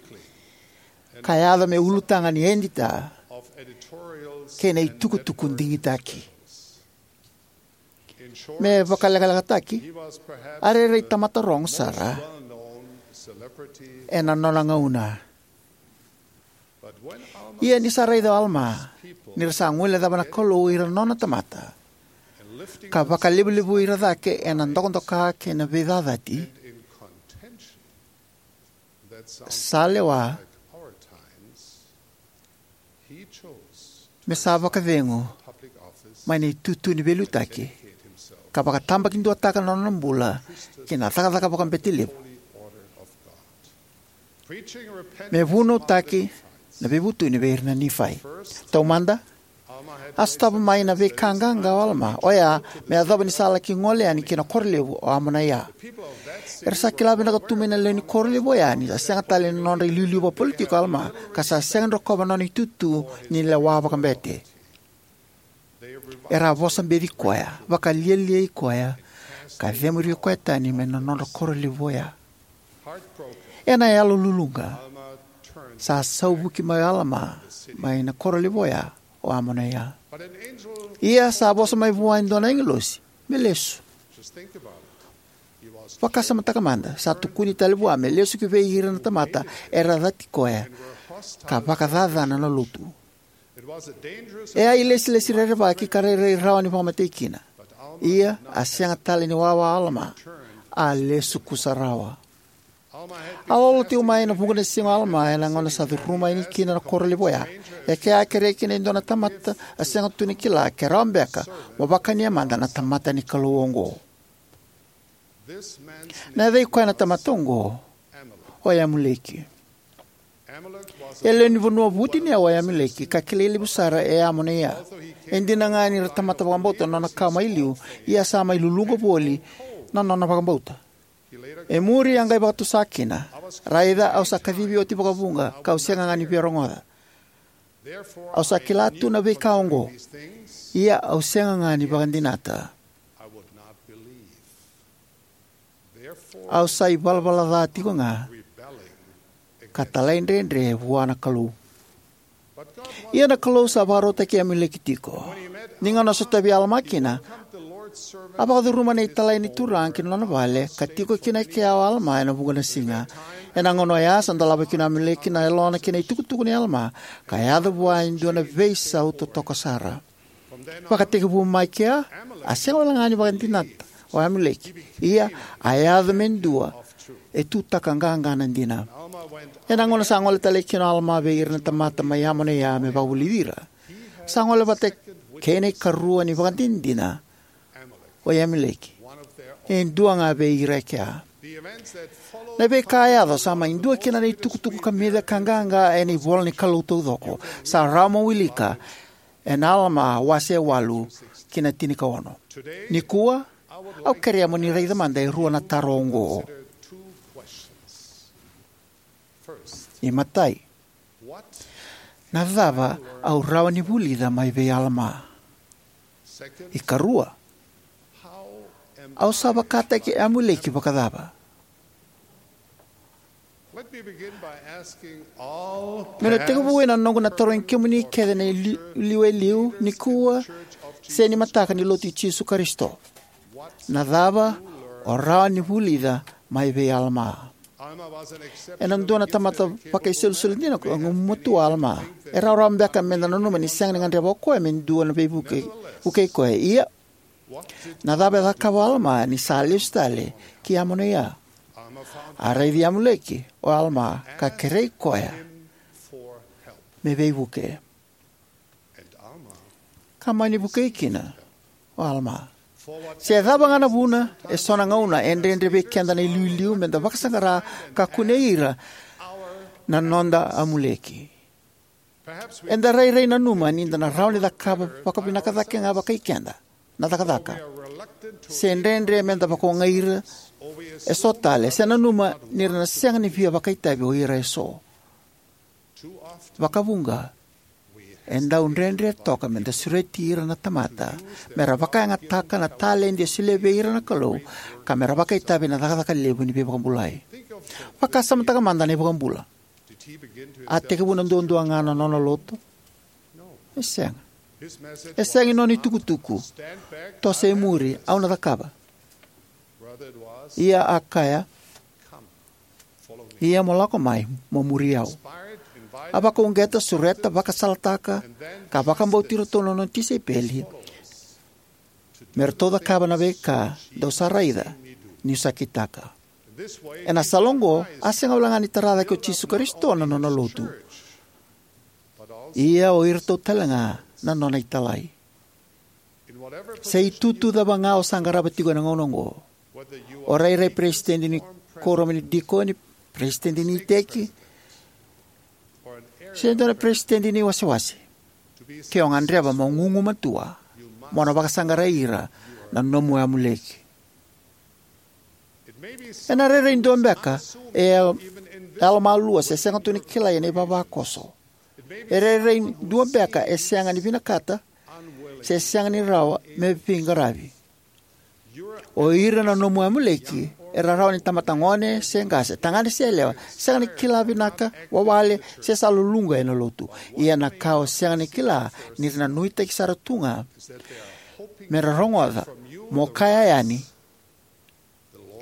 ka yaco me ulutaga ni edita kei na itukutuku digitaki. Me vakalekalekataki, a rairai tamata rogo sara ena nona gauna. Ia ni sa raica o Alama ni ra sa guilecava na Kalou ira na nona tamata ka vakalevulevui ira cake ena dokadoka kei na veicacati, sa lewa me sa vakacegu mai na itutu ni veiliutaki ka vakatabakiduataka na nona bula ki na cakacaka vakabete levu me vunautaki na veivutuni vei ira na Nifai. Taumada, a sotava mai na veika qaqa o Alama, oya me yacova ni sa laki gole yani ki na koro levu o Amonaia. Era sa kila vinaka tu mai na lewe ni koro levu oya ni sa sega tale na nodra iliuliu vakapolitiki o Alama ka sa sega ni rokova na nona itutu ni lewa vakabete. Era a vosa beci koya, vakalialiai koya, ka cemuri koya tani mai na nodra koro levu oya. Ena yalo luluqa, sa sauvuki mai o Alama mai na koro levu oya o Amonaia. Ia sa vosa mai vua e dua na agilosi me lesu. Vakasamataka mada, sa tukuni tale vua me lesu ki vei ira na tamata era cati koya ka vakacacana na lotu. E a ilesilesi rerevaki ka rairai rawa ni vakamatei kina. Ia a sega tale ni wawa o Alama, a lesu kusarawa. A lolo tiko mai ena vuqa na siga o Alama ena gauna sa curuma yani kina na koro levu oya. E kea a kerea kina e dua na tamata a sega tu ni kila ke rawa beka mo vakania mada na tamata ni Kalou oqo. Na yaca i koya na tamata oqo o Amuleki. E lewe ni vanua vutuniyau o Amuleki ka kilai levu sara e Amonaia. E dina ga ni ra tamata vakabauta na nona kawa mai liu, ia sa mai luluqa voli na nona vakabauta. E muri a qai vakatusa kina, raica au sa kacivi oti vakavuqa kau sega ga ni via rogoca. Au sa kila tu na veika oqo, ia au sega ga ni vakadinata. Au sa ivalavala ca tiko ga ka talaidredre vua na Kalou. Ia na Kalou sa vakarautaki Amuleki tiko. Ni gauna sotavi Alama kina, A vakacuruma na italai ni Turaga ki na nona vale, ka tiko kina e kea o Alama ena vuqa na siga. Ena gauna oya sa dolava kina o Amuleki na yalona ki na itukutuku nei Alama, ka yaco vua e dua na veisau totoka sara. Vakatekivu mai kea, a sega wale ga ni vakadinata o Amuleki, ia a yaco me dua e tutaka qaqa na dina. Ena gauna sa gole tale kina o Alama vei ira na tamata mai Amonaia me vakavulici ira, sa gole vata kei na ikarua ni vakadinadina, o Amuleki, e dua ga vei ira e kea. Na veika a yaco sa mai dua kina na itukutuku kamica ka qaqa ena ivola ni Kalou taucoko. Sa rawa mo wilika ena Alama wase walu ki na tinikaono. Nikua, au kerea mo ni raica mada e rua na taro oqo. Imatai, na cava au rawa ni vulica mai vei Alama? Ikarua, au sa vakataki Amuleki vakacava? Meu na tekivu ena noqu na tarogi kemuni kece na ili-, liu e liu nikua se ni mataka ni Lotu i Jisu Karisito. Na cava o rawa ni vulica mai vei Alama? Ena dua na tamata vakaisolisoli dina ka gumatua o Alama. E rawarawa beka meda nanuma ni sega ni gadreva o koya me dua na veivuke, vukei koya. Ia, na cava e cakava o Alama ni sa lesu tale ki Amonaia? A raici Amuleki o Alama ka kerei koya me veivuke. Ka mani vukei kina o Alama. Se cava ga na vuna, eso na gauna e dredre vei keda na iliuliu meda vakasaqara ka kunei ira na noda Amuleki. Eda rairai nanuma ni da na rawa ni cakava vakavinaka cake ga vakai keda na cakacaka, se dredre meda vakaogai ira eso tale, se nanuma ni ra na sega ni via vakaitavi o ira eso. Vakavuqa, e dau dredre toka meda sureti ira na tamata mera vakayagataka na taledi e solia vei ira na Kalou, ka mera vakaitavi ena cakacaka levu ni veivakabulai. Vakasamataka mada na iVakabula. A tekivu na duadua ga na nona lotu? E sega. E sega ni nona itukutuku, toso i muri, au na cakava. Ia a kaya, ia mo lako mai, mo muri au. A vakauqeta, sureta, vakasalataka, ka vakabauti iratou na nona tisaipeli me ratou cakava na veika dou sa raica niu sa kitaka. Ena sala oqo, a sega wale ga ni tara cake o Jisu Karisito na nona lotu, ia o iratou tale ga na nona italai. Se itutu cava ga o sa qarava tiko ena gauna oqo, o rairai peresitedi ni kuoramu ni dikoni, peresitedi ni iteki, se dua na peresitedi ni wasewase, ke o gadreva mo gugumatua, mo na vakasaqarai ira na nomu Amuleki. Ena rairai dua beka e yalomalua se sega tu ni kilai ena ivavakoso. E rairai dua beka e sega ni vinakata se sega ni rawa me veiqaravi. O ira na nomu Amuleki era rawa ni tamata gone se qase, tagane se yalewa, sega ni kila vinaka, wawale, se sa luluqa ena lotu. Ia na ka o sega ni kila ni ra na nuitaki sara tu ga me ra rogoca, mo kaya yani,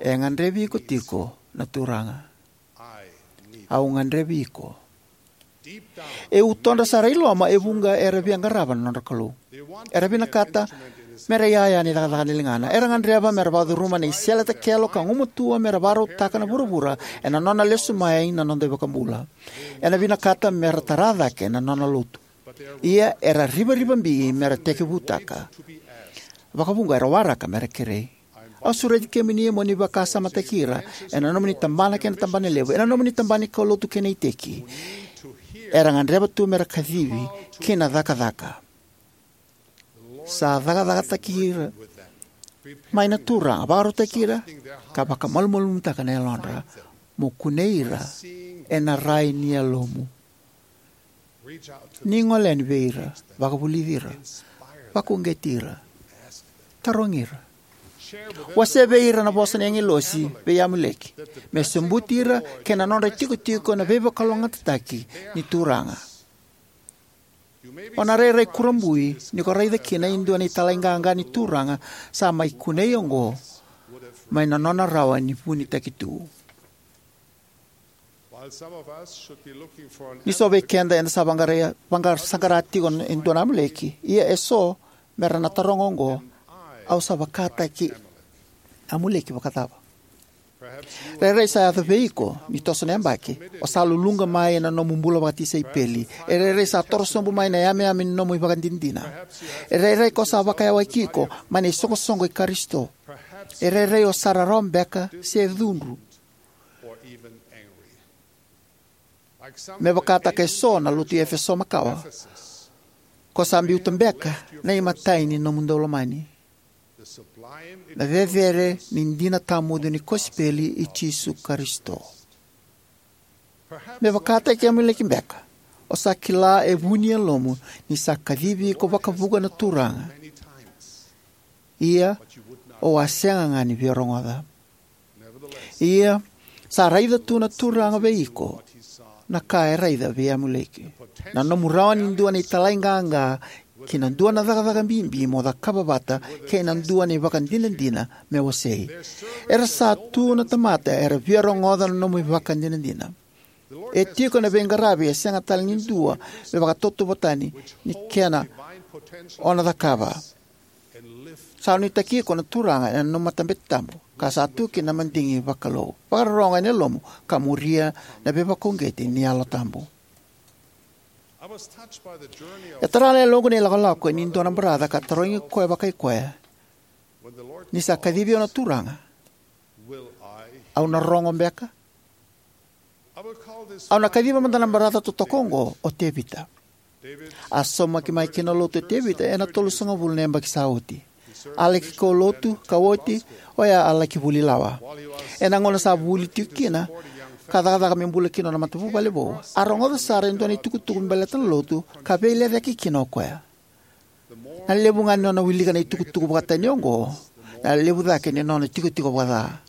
e gadrevi iko tiko na Turaga. Au gadrevi iko. E utodra sara i loma e vuqa era via qarava na nodra Kalou. Era vinakata me ra iyaya ni cakacaka ni ligana. Era gadreva me ra vakacuruma na isele takelo ka gumatua me ra vakarautaka na vuravura ena nona lesu mai na noda iVakabula. Era vinakata me ra tara cake na nona lotu. Ia era rivarivabi me ra tekivutaka. Vakavuqa era waraka me ra kerei. Au sureti kemuni mo ni vakasamataki ira ena nomuni tabana kei na tabana levu, ena nomuni tabana ni kaulotu kei na iteki. Era gadreva tu me ra kacivi ki na cakacaka. Sa cakacakataki ira mai na Turaga, vakarautaki ira, ka vakamalumalumutaka na yalodra. Mo kunei ira ena rai ni yalomu. Ni gole yani vei ira, vakavulici ira, vakauqeti ira, tarogi ira. Wasea vei ira na vosa ni agilosi vei Amuleki, me sobuti ira kei na nodra itikotiko na veivakalougatataki ni Turaga. O na rairai kurabui ni ko raica kina e dua na italai qaqa ni Turaga sa mai kunei oqo mai na nona rawa ni vunitaki tu. Ni so vei keda eda sa vaqara, vaqara saqara tiko e dua na Amuleki, ia e so me ra na taroga oqo: Au sa vakataki Amuleki vakacava? Rairai sa yaco vei iko ni toso na yabaki o sa luluqa mai ena nomu bula vakatisaipeli. E rairai sa toro sobu mai na yameyame ni nomu ivakadinadina. E rairai ko sa vakayawaki iko mai na isoqosoqo i Karisito. E rairai o sa rarawa beka se cudru. Me vakataka e so na lotu i Efeso makawa, ko sa biuta beka na imatai ni nomu daulomani, na cecere ni dina tawamudu ni kosipeli i Jisu Karisito. Me vakataki Amuleki beka, o sa kila e vu ni yalomu ni sa kacivi iko vakavuqa na Turaga, ia o a sega ga ni via rogoca. Ia, sa raica tu na Turaga vei iko na ka e raica vei Amuleki: na nomu rawa ni dua na italai qaqa ki na dua na cakacaka bibi mo cakava vata kei na dua na ivakadinadina me wasei. Era sa tu na tamata era via rogoca na nomu ivakadinadina. E tiko na veiqaravi e sega tale ni dua me vakatautauvatataki ni kena o na cakava. Sa nuitaki iko na Turaga ena nomu matabete tabu, ka sa tu kina na madigi vakalou. Vakarorogo ena yalomu ka muria na veivakauqeti ni Yalo Tabu. E tara na yaloqu na ilakolako ni dua na baraca ka tarogi koya vakai koya ni sa kacivi au na Turaga: Au na rogo beka? Au na kaciva mada na baraca totoka oqo o Tevita. A saumaki mai ki na Lotu o Tevita ena tolusagavulu na yabaki sa oti. A laki kaulotu ka oti, oya a laki vuli lawa. Ena gauna sa vuli tiko kina ka cakacaka me bula kina nona matavuvale vou, a rogoca sara e dua na itukutuku me baleta na Lotu ka veilecayaki kina o koya. Na levu ga ni nona wilika na itukutuku vakatani oqo, na levu cake ni nona itikotiko vakaca.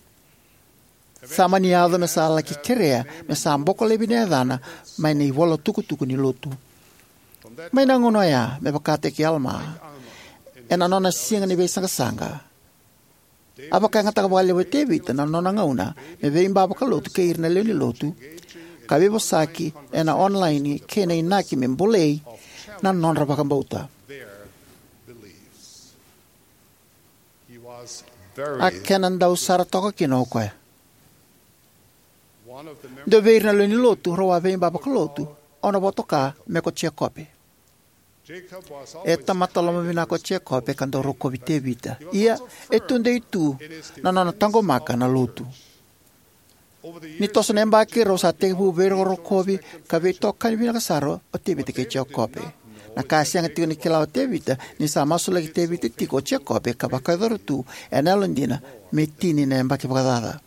Sa mani yaco me sa laki kerea me sa boko laivi na yacana mai na ivolatukutuku ni Lotu. Mai na gauna oya, me vakataki Alama ena nona siga ni veisaqasaqa, a vakayagataka vakalevu o Tevita na nona gauna me veiba vakalotu kei ira na lewe ni Lotu, ka veivosaki ena onolaini kei na inaki me bolei na nodra vakabauta. A kena dau sara toka kina o koya. Dua vei ira na lewe ni Lotu rau a veiba vakalotu, au na vakatoka me ko Jekope. E tamata lomavinaka o Jekope ka dau rokovi Tevita. Ia, e tudei tu na nona taqomaka na Lotu. Ni toso na yabaki, rau sa tekivu veirokorokovi ka veitokani vinaka sara o Tevita kei Jekope. Na ka e sega tiko ni kila o Tevita ni sa masulaki Tevita tiko o Jekope ka vakayacora tu ena yalodina me tini na yabaki vakacaca.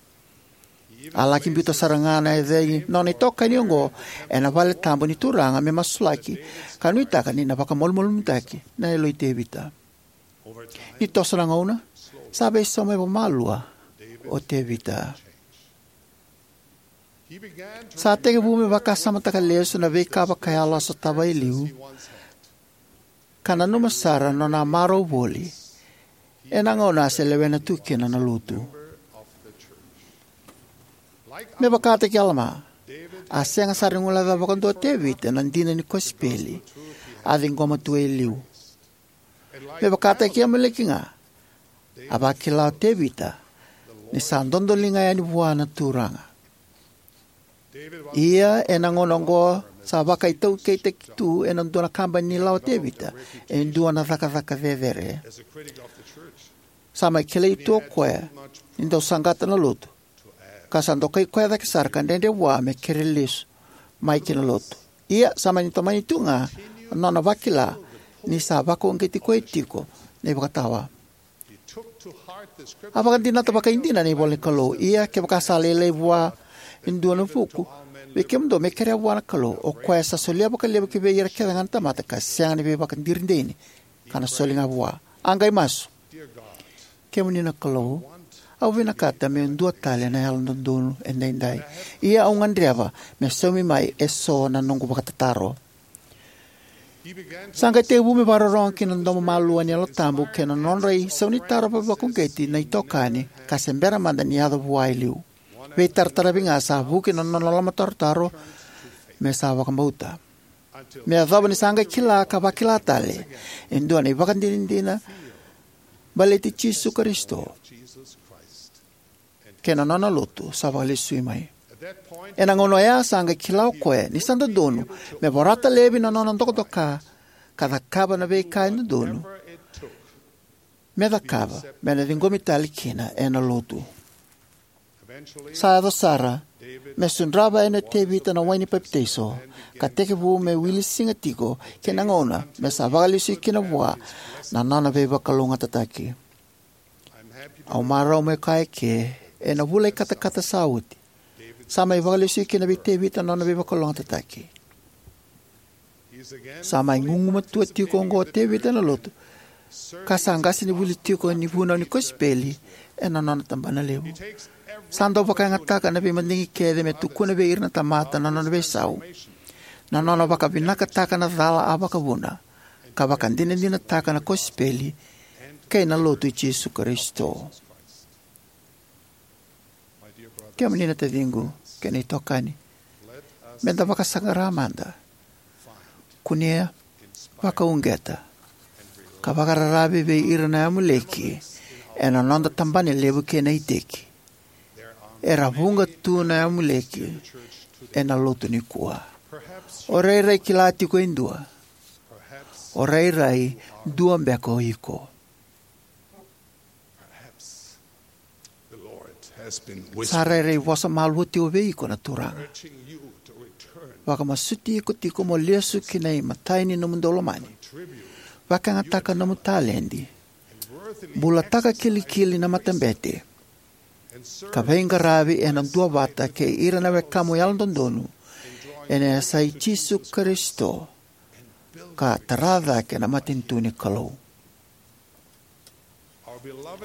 A laki biuta sara ga na yacai nona itokani oqo ena vale tabu ni Turaga me masulaki, ka nuitaka ni na vakamalumalumutaki na yalo i Tevita. Ni toso na gauna, sa veisau mai vakamalua o Tevita. Sa tekivu me vakasamataka lesu na veika vakayalo a sotava e liu, ka nanuma sara na nona a marau voli ena gauna a se lewena tu kina na Lotu. Me vakataki Alama, a sega sara ni guilecavi vakadua o Tevita na dina ni kosipeli a ciqoma tu e liu. Me vakataki Amuleki ga, a vakila o Tevita ni sa dodoliga yani vua na Turaga. Ia, ena gauna oqo, sa vakaitaukeitaki tu ena dua na kabani ni lawa o Tevita e dua na cakacaka cecere. Sa mai kilai tu o koya ni dau saqata na Lotu, ka sa dokai koya cake sara ka dredre vua me kere lesu mai ki na Lotu. Ia, sa mani tomani tu ga na nona vakila ni sa vakauqeti koya tiko na ivakatawa. A vakadinata vakaidina na ivola ni Kalou. Ia, kevaka sa lailai vua e dua na vuku vei kemudou me kerea vua na Kalou, o koya sa solia vakalevu kivei ira kece ga na tamata ka sega ni veivakadiri dei, ka na soli ga vua. A qai masu. Kemuni na Kalou, au vinakata meu dua tale na yalododonu edaidai. Ia au gadreva me saumi mai eso na noqu vakatataro. Sa qai tekivu me vakarorogo ki na domo malua ni Yalo Tabu kei na nodra isaunitaro vakauqeti na itokani ka se bera mada ni yaco vua e liu. Veitarataravi ga sa vuki na nona lomatarotaro me sa vakabauta. Me yacova ni sa qai kila ka vakila tale e dua na ivakadinadina baleti Jisu Karisito kei na nona lotu sa vakalesui mai. Ena gauna oya sa qai kila o koya ni sa dodonu me vorata laivi na nona dokadoka ka cakava na veika e dodonu me cakava me na ciqomi tale kina ena lotu. Sa yaco sara me sudrava yani o Tevita na wai ni papitaiso, ka tekivu me wili siga tiko ki na gauna me sa vakalesui kina vua na nona veivakalougatataki. Au marau meu kaya eke, ena vula i katakata sa oti, sa mai vakalesui kina vei Tevita na nona veivakalougatataki. Sa mai gugumatua tiko oqo o Tevita ena lotu, ka sa qase ni vuli tiko ni vunau ni kosipeli ena nona tabana levu. Sa dau vakayagataka na veimadigi kece me tukuna vei ira na tamata na nona veisau, na nona vakavinakataka na cala a vakavuna, ka vakadinadinataka na kosipeli kei na lotu i Jisu Karisito. Kemuni na taciqu kei na itokani, me da vakasaqara mada, kunea, vakauqeta, ka vakararavi vei ira na Amuleki ena noda tabana levu kei na iteki. Era vuqa tu na Amuleki ena lotu nikua. O rairai kila tiko e dua. O rairai dua beka o iko. Sa rairai vosa malua tiko vei iko na Turaga, vakamasuti iko tiko mo lesu ki na imatai ni nomu daulomani, vakayagataka nomu taledi, bulataka kilikili na matabete, ka veiqaravi ena duavata kei ira na wekamu yalododonu ena yasai Jisu Karisito, ka tara cake na matanitu ni Kalou.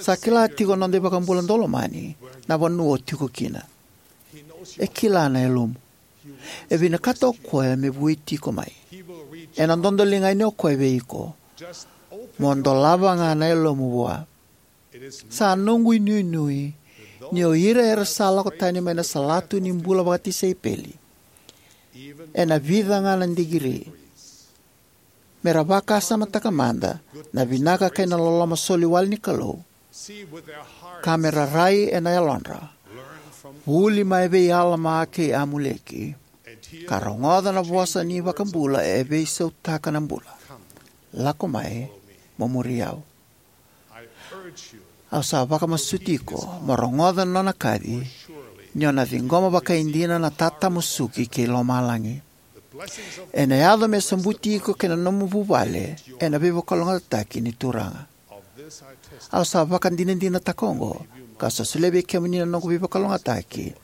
Sa kila tiko na noda iVakabula daulomani na vanua o tiko kina. E kila na yalomu. E vinakata o koya me vueti iko mai. Ena dodoliga yani o koya vei iko. Mo dolava ga na yalomu vua. Sa noqu inuinui ni o ira era sa lako tani mai na salatu ni bula vakatisaipeli, ena vica ga na digiri, me ra vakasamataka mada na vinaka kei na loloma soli wale ni Kalou, ka me ra rai ena yalodra, vuli mai vei Alama kei Amuleki, ka rogoca na vosa ni iVakabula e veisautaka na bula: "Lako mai, mo muri au." Au sa vakamasuti iko mo rogoca na nona kaci, ni o na ciqoma vakaidina na tatamusuki kei lomalagi. Ena yaco me sobuti iko kei na nomu vuvale ena veivakalougatataki ni Turaga. Au sa vakadinadinataka oqo, ka sa solia vei kemuni na noqu veivakalougatataki,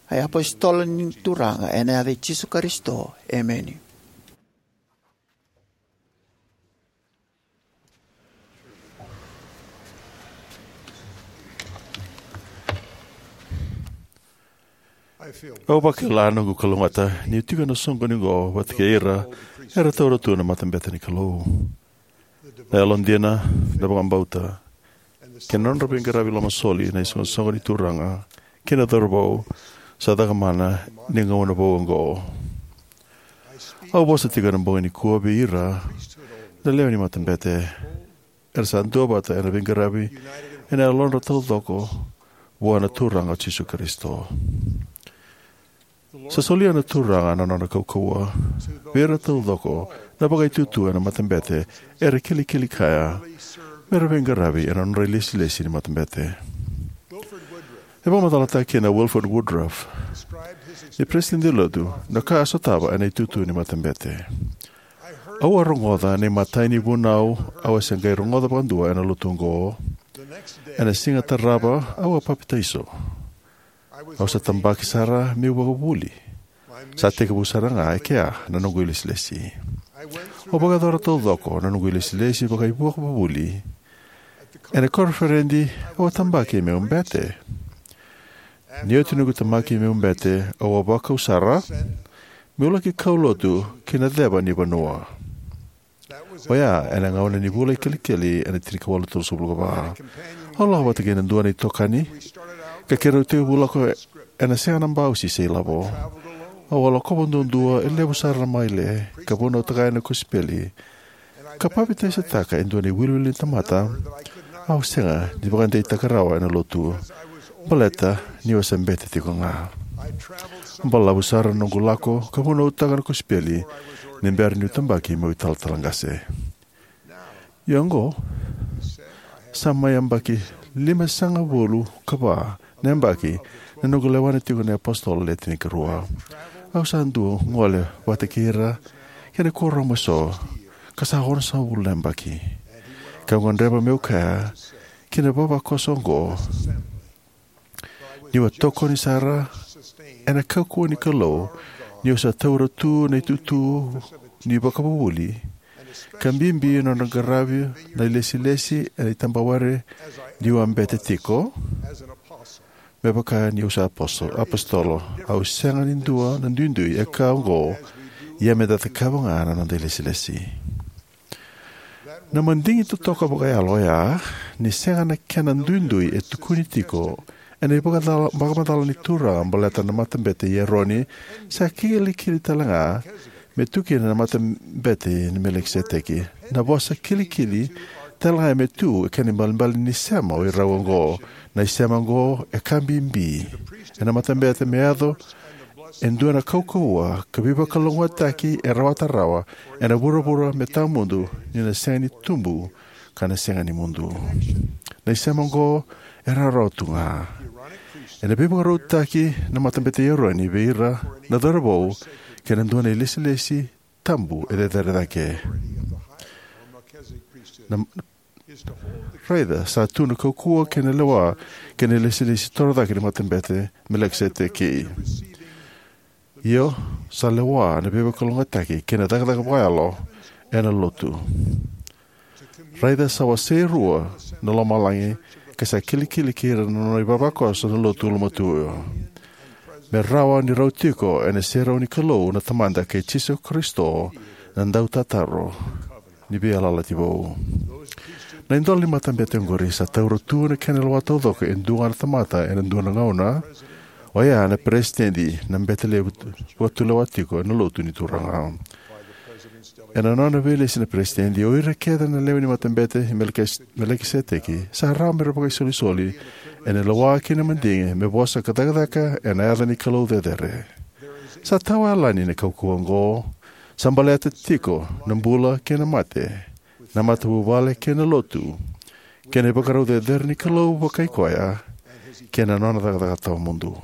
a iApositolo ni Turaga, ena yaca i Jisu Karisito, emeni. Au vakila noqu kalougata niu tiko ena soqoni oqo vata kei ira era taura tu na matabete ni Kalou. Na yalodina, na vakabauta, kei na nodra veiqaravi lomasoli na isoqosoqo ni Turaga kei na cauravou sa cakamana ni gauna vou oqo. Au vosa tiko ena bogi nikua vei ira na lewe ni matabete era sa duavata ena veiqaravi ena yalodra taucoko vua na Turaga o Jisu Karisito. Sa solia na Turaga na nona kaukauwa vei ira taucoko na vakaitutu ena matabete era kilikili kaya me ra veiqaravi ena nodra ilesilesi ni matabete. E vakamacalataka kina o Wilford Woodruff, ni peresitedi ni Lotu, na ka a sotava ena itutu ni matabete: "Au a rogoca na imatai ni vunau au a se qai rogoca vakadua ena lotu oqo. Ena siga tarava au a papitaiso. Au sa tabaki sara meu ivakavuvuli. Sa tekivu sara ga e kea na noqu ilesilesi. Au vakayacora taucoko na noqu ilesilesi vakaivakavuvuli. Ena koniferedi au a tabaki meu bete. Ni oti noqu tabaki meu bete, au a vakau sara meu laki kaulotu ki na ceva ni vanua. Oya ena gauna ni vula i Kelikeli ena tinikawalu tolusagavulu ka va. Au lako vata kei na dua na itokani, ka keirau tekivu lako ena sega na bausi se ilavo. Au a lakova duadua e levu sara na maile, ka vunautaka yani na kosipeli, ka papitaisotaka e dua na iwiliwili ni tamata au sega ni vakadeitaka rawa ena lotu, baleta niu a se bete tiko ga. Balavu sara na noqu lako ka vunautaka na kosipeli ni bera niu tabaki meu italatala qase. Ia oqo, sa mai yabaki limasagavulu ka va na yabaki ni noqu lewa tiko na iApositolo Le Tinikarua. Au sa dau gole vata kei ira kei na kuoramu eso, ka sa onosagavulu na yabaki. Kau gadreva meu kaya ki na ivavakoso oqo niu a tokoni sara ena kaukauwa ni Kalou, niu sa taura tu na itutu ni ivakavuvuli, ka bibi na nona qaravi na ilesilesi ena itabawere niu a bete tiko. Me vaka niu sa aposo-, apositolo, au sega ni dua na duidui e ka oqo, ia meda cakava ga na noda ilesilesi. Na madigi totoka vakayalo oya, ni sega na kena duidui e tukuni tiko ena ivakacala-, vakamacala ni Turaga baleta na Matabete i Eroni, sa kilikili tale ga me tu kina na Matabete ni Melikiseteki. Na vosa kilikili tale ga me tu e kena ibalebale ni sema o irau oqo. Na isema oqo e ka bibi ena matabete me yaco e dua na kaukauwa ka veivakalougatataki e rawata rawa ena vuravura me tawamudu, ni na sega ni tubu ka na sega ni mudu. Na isema oqo e rawarawa tu ga. Ena veivakarautaki na Matabete i Eroni vei ira na cauravou kei na dua na ilesilesi tabu e cecere cake. Na, raica, sa tu na kaukauwa kei na lewa kei na ilesilesi torocake ni Matabete Melikiseteki. Io, sa lewa na veivakalougatataki kei na cakacaka vakayalo ena lotu. Raica, sa wasei rua na lomalagi ka sa kilikili kei ira na nona ivavakoso na lotu ulumatua, me rawa ni rau tiko ena serau ni Kalou na Tamada kei Jisu Karisito na Dautataro ni Veiyalayalati Vou. Na idola ni matabete oqori sa taura tu na kena lewa taucoko e dua ga na tamata ena dua na gauna, oya na peresitedi na bete levu vakatulewa tiko ena lotu ni Turaga. Ena nona veilesi na peresitedi, o ira kece na lewe ni Matabete i Melkis-, Melikiseteki sa rawa mera vakaisolisoli ena lewa kei na madigi me vosa ka cakacaka ena yaca ni Kalou cecere. Sa tawayalani na kaukauwa oqo. Sa baleta tiko na bula kei na mate, na matavuvale kei na lotu, kei na ivakarau cecere ni Kalou vakai koya, kei na nona cakacaka tawamudu.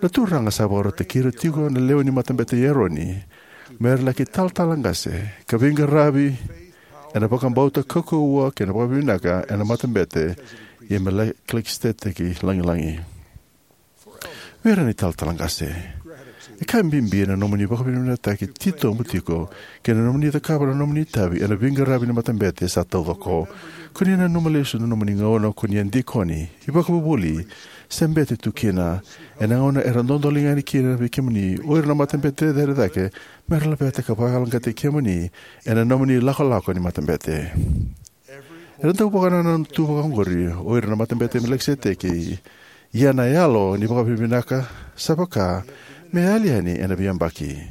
Na Turaga sa vakarautaki ira tiko na lewe ni Matabete i Eroni mera laki talatala qase ka veiqaravi ena vakabauta kaukauwa kei na vakavinavinaka ena Matabete i Melikiseteki lagilagi. Vei ira na italatala qase, e ka bibi na nomuni vakavinavinakataki titobu tiko kei na nomuni cakava na nomuni itavi ena veiqaravi ni matabete sa taucoko. Ko ni nanuma lesu na nomuni gauna ko ni a dikoni, ivakavuvuli, se bete tu kina, ena gauna era dodoliga yani kina vei kemuni o ira na matabete cecere cake, mera laveta ka vakayaloqaqataki kemuni ena nomuni lakolako ni matabete. Era dau vakanananu tu vaka oqori o ira na Matabete i Melikiseteki, ia na yalo ni vakavinavinaka sa vaka me yali yani ena veiyabaki.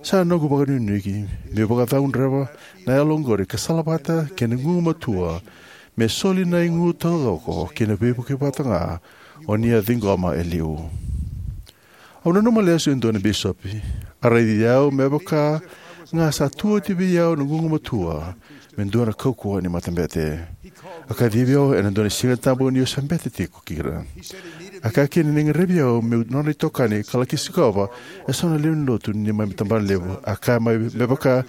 Sa noqu vakanuinui meu vakacaudreva na yalo oqori ka salavata kei na gugumatua me soli na igu taucoko ki na veivuke vata ga o ni a ciqoma e liu. Au nanuma lesu e dua na bisopi a raici au me vaka ga sa tu oti vei au na gugumatua me dua na kaukauwa ni matabete. A kacivi au ena dua na Siga Tabu niu se bete tiko kina. A kaya kina ni gadrevi au meu nona itokani ka laki sikova eso na lewe ni lotu ni mai tabanalevu. A kaya mai me vaka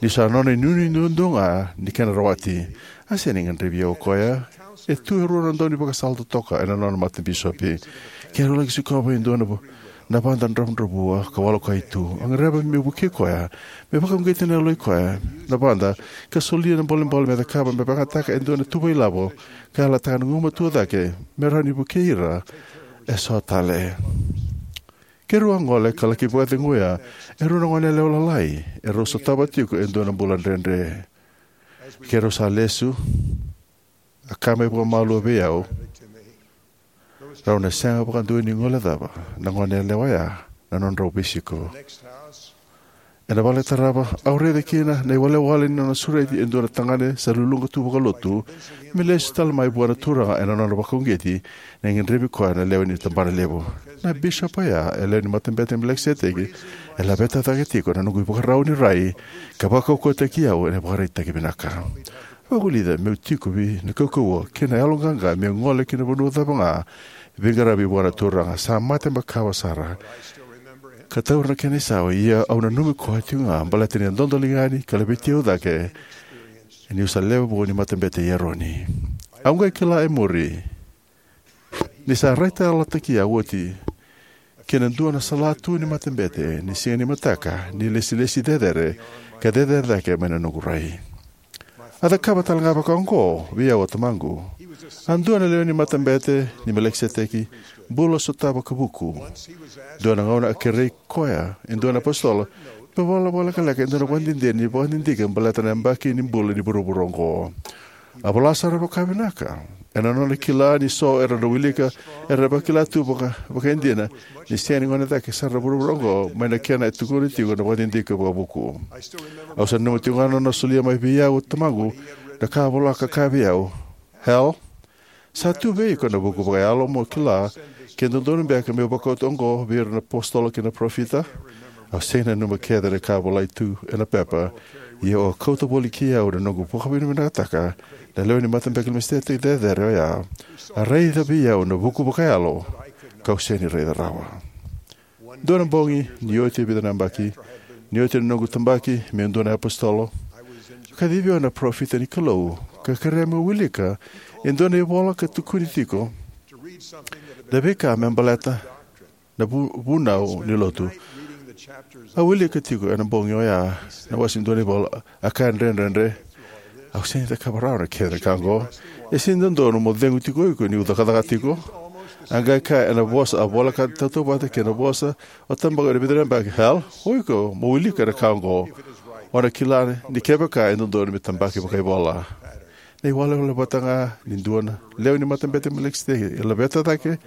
ni sa nona inuinui duadua ga ni kena rawati. A sega ni gadrevi au o koya. E tu e rua na daunivakasala totoka ena nona matabisopi. Keirau laki sikova e dua na, na vada dravudravua ka walokai tu. A gadreva meu vukei koya me vakauqeti na yaloi koya na vada ka solia na bolebole me cakava me vakayagataka e dua na tuvailavo ka yalataka na gugumatua cake me rawa ni vukei ira eso tale. Keirau a gole ka laki vakaceguya e rua na goneyalewa lalai erau sotava tiko e dua na bula dredre. Keirau sa lesu, a kaya mai vakamalua vei au, "Rau na sega vakadua ni guilecava na goneyalewa oya na nodrau veisiko." Ena vale tarava, au raica kina na iwalewale ni nona sureti e dua na tagane sa luluqa tu vakalotu me lesu tale mai vua na Turaga ena nona vakauqeti ni gadrevi koya na lewe ni tabanalevu. Na bisopi oya, e lewe ni Matabete i Melikiseteki, e laveta cake tiko na noqu ivakarau ni rai ka vakaukauwataki au ena ivakaraitaki vinaka. Vakavulica meu tiko vei na kaukauwa kei na yaloqaqa meu gole ki na vanua cava ga e veiqaravi vua na Turaga. Sa mate makawa sara ka taura na kena isau, ia au nanumi koya tiko ga baleta ni a dodoliga yani ka laveti au cake niu sa lewe vou ni Matabete i Eroni. Au qai kila e muri ni sa raitayalotaki au oti ki na dua na salatu ni matabete ni siga ni mataka ni ilesilesi cecere ka cecere cake mai na noqu rai. A cakava tale ga vakaoqo vei au o tamaqu. A dua na lewe ni Matabete ni Melikiseteki, bula sotava ka vuku. Dua na gauna a kerei koya e dua na apositolo me vola vakalekaleka e dua na vakadidike ni vakadidike baleta na yabaki ni bula ni vuravura oqo. A vola sara vakavinaka ena nona kila ni so era na wilika era vakila tu vaka, vakaidina ni sega ni gone cake sara na vuravura oqo mai na kena e tukuna tiko na vakadidike vakavuku. Au sa nanuma tiko ga na nona solia mai vei au o tamaqu na ka a vola ka kaya vei au, "Hal, sa tu vei iko na vuku vakayalo mo kila ke dodonu beka meu vakauta oqo vei ira na apositolo kei na parofita?" Au sega ni nanuma kece na ka a volai tu ena pepa, ia au a kauta voli kei au na noqu vakavinavinakataka na lewe ni Matabete i Melikiseteki cecere oya. A raica vei au na vuku vakayalo kau sega ni raica rawa. Dua na bogi, ni oti e vica na yabaki, ni oti na noqu tabaki me dua na apositolo, a kacivi au na parofita ni Kalou ka kerea meu wilika e dua na ivola ka tukuni tiko na veika me baleta na vu, vunau ni lotu. Au wilika tiko ena bogi oya na wase ni dua na ivola, a kaya dredredre, "Au sega ni cakava rawa na kena ka oqo. E sega ni dodonu mo cegu tiko o iko niu cakacaka tiko." A qai kaya ena vosa a voleka tautauvata kei na vosa o tabaka ena vica na yabaki, "Hal, o iko mo wilika na ka oqo. O na kila ni kevaka e dodonu me tabaki vakaivola." Na iwalewale vata ga ni dua na lewe ni Matabete i Melikiseteki e laveta cake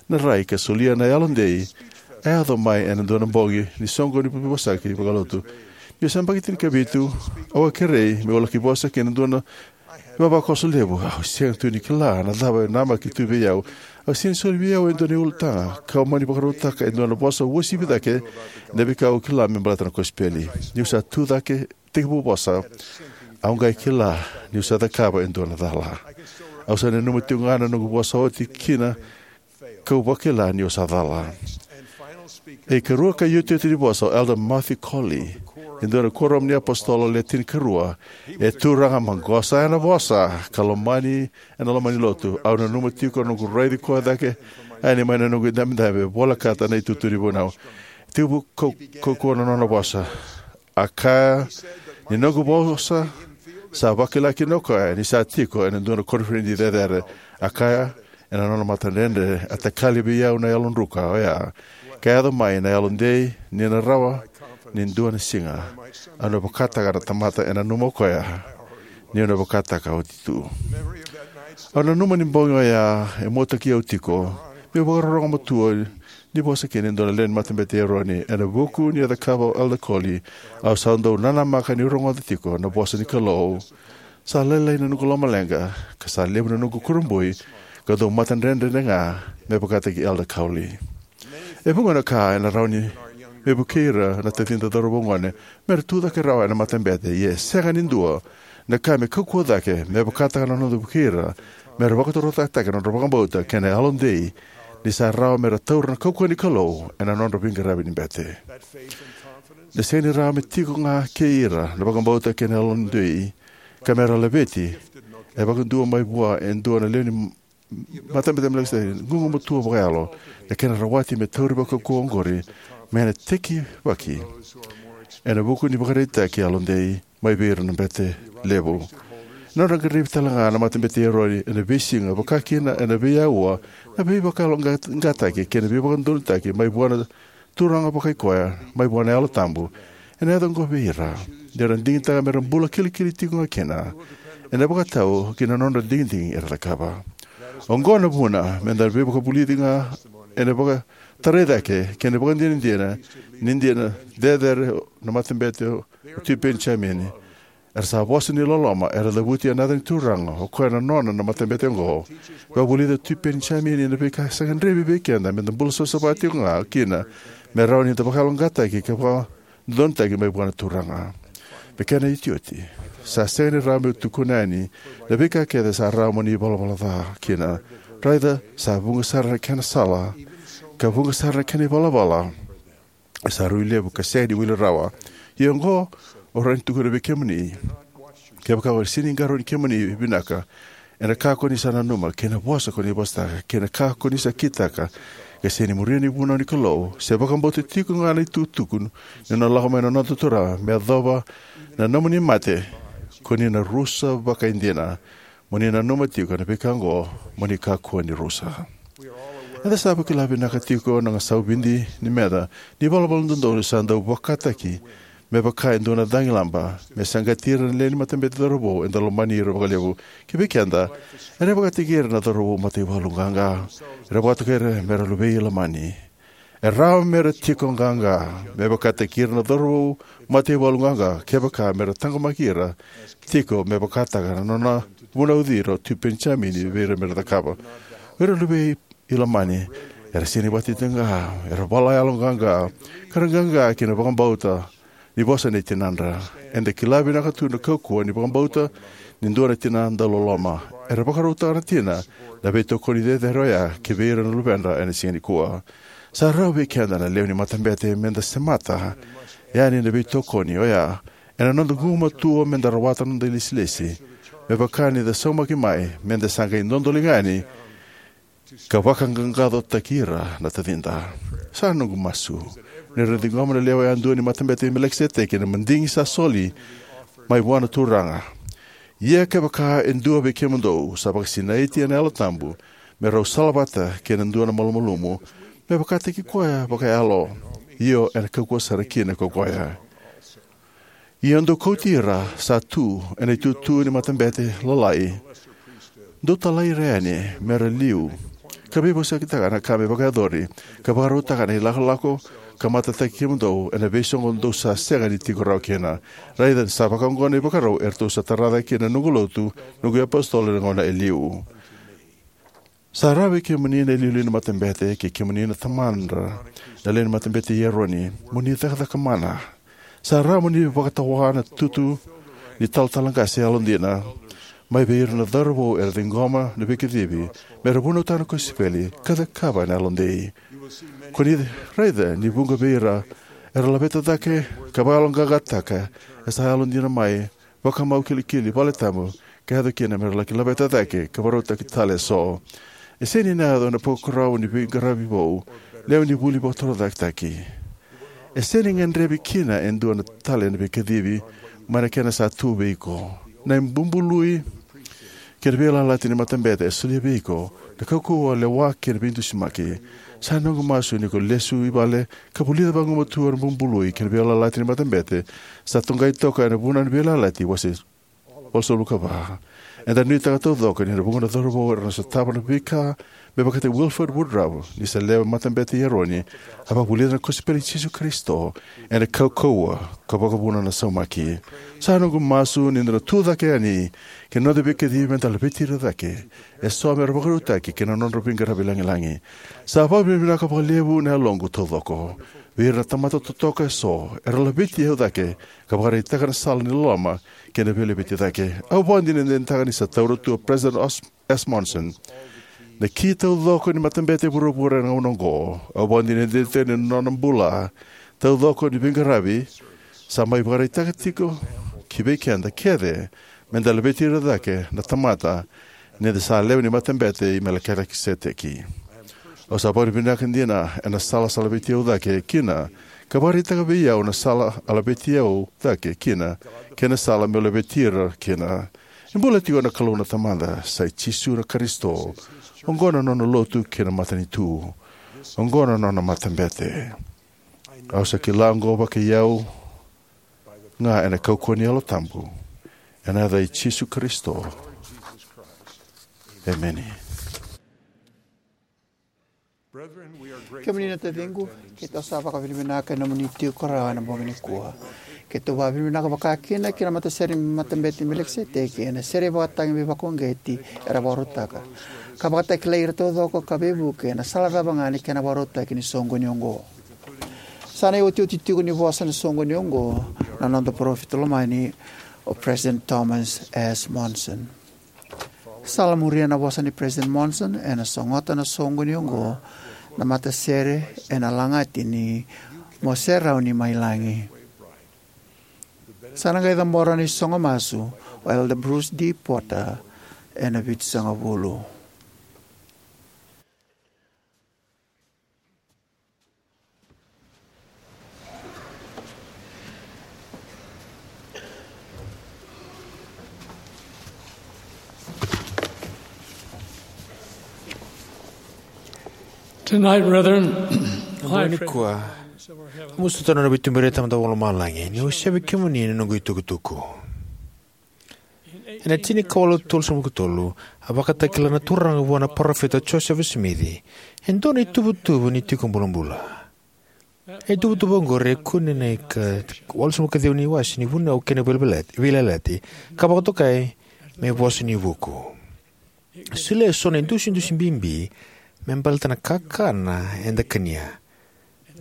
na rai ka solia na yalodei a yaco mai ena dua na bogi ni soqoni ni veivosaki vakalotu. Niu se yabaki tinikavitu, au a kerei meu laki vosa ki na dua na ivavakoso levu. Au sega tu ni kila na cava e namaki tu vei au. A sega ni soli vei au e dua na ulutaga, kau mani vakarautaka e dua na vosa uasivi cake na veika au kila me baleta na kosipeli. Niu sa tu cake tekivu vosa, au qai kila niu sa cakava e dua na cala. Au sa nanuma tiko ga na noqu vosa oti kina kau vakila niu sa cala. E ikarua ka iotioti ni vosa o Elder Matthew Cowley, e dua na kuoramu ni apositolo le tinikarua, e turaga maqosa ena vosa ka lomani ena loma ni lotu. Au nanuma tiko na noqu raici koya cake yani mai na noqu idabedabe, volekata na itutu ni vunau. Tekivu kau, kaukauwa na nona vosa. A kaya ni noqu vosa sa vakila kina o koya ni sa tiko ena dua na koniferedi cecere. A kaya ena nona matadredre, a takali vei au na yalodruka oya ka yaco mai na yalodei ni na rawa ni dua na siga au na vakataka na tamata e nanuma o koya niu na vakataka oti tu. Au nanuma ni bogi oya e muataki au tiko meu vakarorogo matua ni vosa kina e dua na lewe ni Matabete i Eroni. Ena vuku ni a cakava o Elder Cowley, au sa dau nanamaka niu rogoca tiko na vosa ni Kalou. Sa lailai na noqu lomaleqa ka sa levu na noqu kurabui ka dau matadredre ga me vakataki Elder Cowley. E vuqa na ka ena rawa ni me vukei ira na tacida cauravou gone me ra tucake rawa ena matabete, ia e sega ni dua na ka me kaukauwa cake me vakataka na noda vukei ira me ra vakatorocaketaka na nodra vakabauta kei na yalodei ni sa rawa me ra taura na kaukauwa ni Kalou ena nodra veiqaravi ni bete. Na sega ni rawa me tiko ga kei ira na vakabauta kei na yalodei ka me ra laveti e vakadua mai vua e dua na lewe ni matabete me laki sa gugumatua vakayalo na kena rawati me tauri vakaukauwa oqori me na tekivaki ena vuku ni vakaraitaki yalodei mai vei ira na bete levu. Na nodra qaravi tale ga na matabete i Eroni ena veisiga, vaka kina ena veiaua, na veivakayaloqaqataki kei na veivakadodonutaki mai vua na Turaga Vakaikoya mai vua na Yalo Tabu ena yaco oqo vei ira, ni ra digitaka me ra bula kilikili tiko ga kina ena vakatau ki na nodra digidigi era cakava. Oqo na vuna me da veivakavulici ga ena vakatarai cake kei na vakadinadina ni dina cecere na Matabete o Tui Penijamini. Era sa vosa ni loloma, era cavuti ena yaca ni Turaga, o koya na nona na matabete oqo. Vakavulica o Tui Penijamini na veika sa gadrevi vei keda me da bula savasava tiko ga kina, me rawa ni da vakayaloqaqataki ka vakadodonutaki mai vua na Turaga. Me kena iotioti, sa sega ni rawa meu tukuna yani na veika kece sa rawa mo ni valavala ca kina. Raica, sa vuqa sara na kena sala, ka vuqa sara na kena ivalavala. E sa rui levu ka sega ni wili rawa. Ia oqo, au rawa ni tukuna vei kemuni, kevaka o sega ni qarauni kemuni vinaka ena ka ko ni sa nanuma, kei na vosa ko ni vosataka, kei na ka ko ni sa kitaka, ka sega ni muria na ivunau ni Kalou, se vakabauta tiko ga na itukutuku ni nona lako mai na noda Turaga me yacova na nomuni mate, ko ni na rusa vakaidina. Mo ni nanuma tiko na veika oqo, mo ni kakua ni rusa. Eda sa vakila vinaka tiko na gasau vidi ni meca ni valavala dodonu sa dau vakataki me vaka e dua na cagilaba me saqati ira na lewe ni matabete cauravou eda lomani ira vakalevu. Ki vei keda, era vakataki ira na cauravou mataivalu qaqa. Era vakatokai ira me ra luvei Ilamani. E rawa me ra tiko qaqa me vakataki ira na cauravou mataivalu qaqa kevaka me ra taqomaki ira tiko me vakataka na nona vunauci ira o Tui Penijamini vei ira me ra cakava. O ira luvei Ilamani era sega ni vakatitiqa, era vala yaloqaqa, ka ra qaqa ki na vakabauta ni vosa nei tinadra. Eda kila vinaka tu na kaukauwa ni vakabauta ni dua na tina dauloloma. Era vakarautaka na tina na veitokoni cecere oya ki vei ira na luvedra ena siga nikua. Sa rawa vei keda na lewe ni matabete me da semata yani na veitokoni oya ena noda gugumatua me da rawata na noda ilesilesi, me vaka ni da saumaki mai me da sa qai dodoliga yani ka vakaqaqacotaki ira na tacida. Sa noqu masu ni ra ciqoma na lewe yadua ni Matabete i Melikiseteki na madigi sa soli mai vua na Turaga. Ia kevaka e dua vei kemudou sa vakasinaiti ena Yalo Tabu, me rau salavata kei na dua na malumalumu, me vakataki koya vakayalo, io, ena kaukauwa sara kina ko koya. Ia dou kauti ira sa tu ena itutu ni matabete lalai, dou talai ira yani me ra liu, ka veivosakitaka na ka me vakayacori, ka vakarautaka na ilakolako, ka matataki kemudou ena veisoqo dou sa sega ni tiko rawa kina. Raica, sa vakaoqo na ivakarau eratou sa tara cake kina na noqu lotu, noqu iapositolo ena gauna e liu. Sa rawa vei kemuni na iliuliu ni matabete, kei kemuni na tamadra na lewe ni Matabete i Eroni, mo ni cakacaka mana. Sa rawa mo ni vakatawa na tutu ni talatala qase yalodina mai vei ira na cauravou era ciqoma na veikacivi me ra vunautaka na kosipeli ka cakava ena yalodei. Ko ni raica ni vuqa vei ira era laveta cake ka vakayaloqaqataka e sa yalodina mai, vakamau kilikili, valetabu, ka yaco kina me ra laki laveta cake ka vakarautaki tale eso. E sega ni na yaco ena parokaramu ni veiqaravi vou, lewe ni vuli vakatorocaketaki. E sega ni gadrevi kina e dua na tale na veikacivi mai na kena sa tu vei iko. Na bubului kei na veiyalayalati ni matabete e solia vei iko na kaukauwa, lewa kei na veidusimaki. Sa noqu masu ni ko lesu i vale ka vulica vagumatua na bubului kei na veiyalayalati ni matabete sa toqai toka ena Vunau ni Veiyalayalati wase walusagavulu ka va. Eda nuitaka taucoko ni na vuqa na cauravou era na sotava na veika me vakataki Wilford Woodruff, ni sa lewe matabete i Eroni, a vakavulica na kosipeli i Jisu Karisito ena kaukauwa ka vakavuna na saumaki. Sa noqu masu ni da na tu cake yani ki na noda veikacivi me da laveti ira cake eso me ra vakarautaki ki na nodra veiqaravi lagilagi. Sa vakavinavinaka vakalevu na yaloqu taucoko vei ira na tamata totoka eso era laveti au cake ka vakaraitaka na sala ni loloma kei na veilaveti cake. Au vakadinadinataka ni sa taura tu o President Os- S. Monson na ki taucoko ni matabete e vuravura ena gauna oqo. Au vakadinadinataka ni nona bula taucoko ni veiqaravi sa mai vakaraitaka tiko ki vei keda kece me da laveti ira cake na tamata ni da sa lewe ni Matabete i Melikiseteki. Au sa vakavinavinaka dina ena sala sa laveti au cake kina ka vakaraitaka vei au na sala a laveti au cake kina kei na sala meu laveti ira kina. E bula tiko na Kalou na Tamada, sa i Jisu na Karisito. Oqo na nona lotu kei na matanitu. Oqo na nona matabete. Au sa kila oqo vakai au ga ena kaukauwa ni Yalo Tabu, ena yaca i Jisu Karisito. Emeni. Kemuni na taciqu, keitou sa vakavinavinaka ena nomuni tiko rawa ena bogi nikua. Keitou vakavinavinaka vakakina ki na matasere ni Matabete i Melikiseteki ena sere vakatagi veivakauqeti era vakarautaka, ka vakatakilai ira taucoko ka veivuke ena sala cava ga ni kena vakarautaki ni soqoni oqo. Sa na iotioti tiko ni vosa ena soqoni oqo na noda parofita lomani, o President Thomas S. Monson. Sa la muria na vosa ni President Monson, ena sogota na soqoni oqo na matasere ena lagati ni Mo Serauni Mai Lagi. Sa na qai cabora na isogo masu o Elder Bruce D. Porter ena vitusagavulu. Tonight, brethren, nikua, musu tano na veituberi e Tamada Vakalomalagi ni au sevi kemuni ena noqu itukutuku. Ena tinikawalu tolusagavulu ka tolu, a vakatakila na Turaga vua na parofita Josefa Simici e dua na ituvatuva ni tiko bulabula. E tuvatuva oqori e kune na ika walusagavulu ka ciwa ni wase ni Vunau kei na Veiyalayalati, ka vakatokai me vosa ni vuku. Solia eso na idusidusi bibi me baleta na kakana eda kania,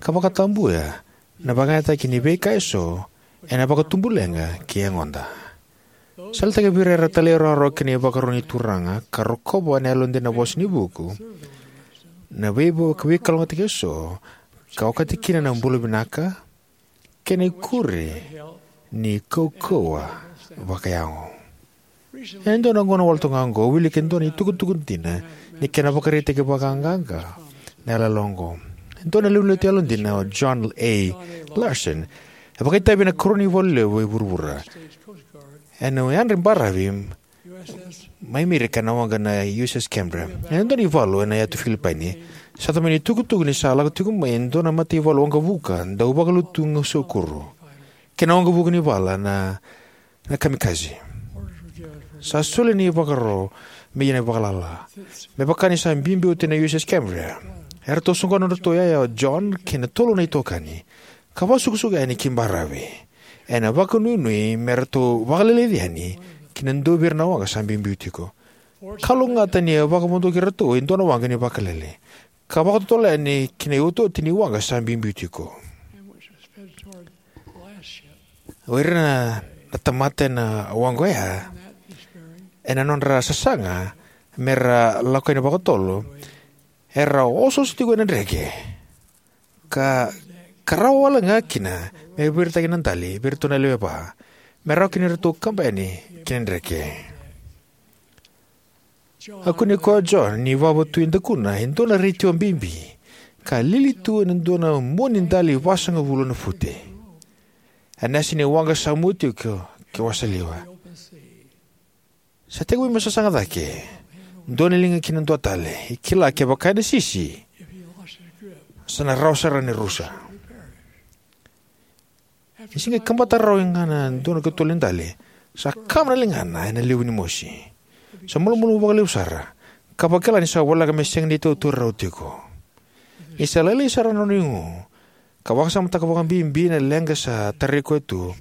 ka vakatabuya na vakayagataki ni veika eso ena vakatubuleqa kei yagoda. Sa yalataki vei ira era talairawarawa ki na ivakaro ni Turaga ka rokova ena yalodina na vosa ni vuku na veiva-, veivakalougatataki eso, ka okati kina na bula vinaka kei na ikuri ni kaukauwa vakayago. Ena dua na gauna wale toka ga oqo, au wilika e dua na itukutuku dina ni kena vakaraitaki vakaqaqa na yalayala oqo. E dua na lewenilotu yalodina, o John A. Larson, e vakaitavi ena karua ni ivola levu e vuravura ena yadra baravi mai Merika, na waqa na U S S Cambria. Ena dua na ivalu ena yatu Filipaini, sa tomani itukutuku ni sa lako tiko mai e dua na mataivalu waqavuka dau vakalutu gausakuru kei na waqavuka ni vala na, na kamikaze. Sa solia na ivakaro me ia na vakalala, me vaka ni sa biubiu oti na U S S Cambria. Eratou soqona nodratou yaya o John kei na tolu na itokani, ka vakasukusuku yani ki baravi ena vakanuinui me ratou vakaleleci yani ki na dua vei ira na waqa sa biubiu tiko. Kalougata ni a vakavodoki iratou e dua na waqa ni vakalele, ka vakatotolo yani ki na iotioti ni waqa sa biubiu tiko. O ira na, na tamata ena waqa oya, ena nodra sasaga me ra lako yani vakatotolo, era osooso tiko ena dreke, ka, ka rawa wale ga kina me viritaki na dali vei iratou na lewe va, me rawa kina ni ratou kaba yani ki na dreke. A kune koya o John ni vava tu e dakuna e dua na retio bibi, ka lili tu ena dua na mua ni dali vasagavulu na fute. A nasi ni waqa sa mua tiko ke wasaliwa. Sa tekivu me sasaga cake, dua na liga ki na dua tale, e kila kevaka ena sisi, sa na rawa sara ni rusa. Ni se qai kabata rawa ga na dua na katolu ni dali, sa kama na ligana ena levu ni mosi. Sa malumalumu vakalevu sara, ka vakila ni sa voleka me sega ni tautauri rawa tiko. Ni sa lailai sara na nona igu, ka vakasamataka vakabibi na leqa sa tarai koya tu,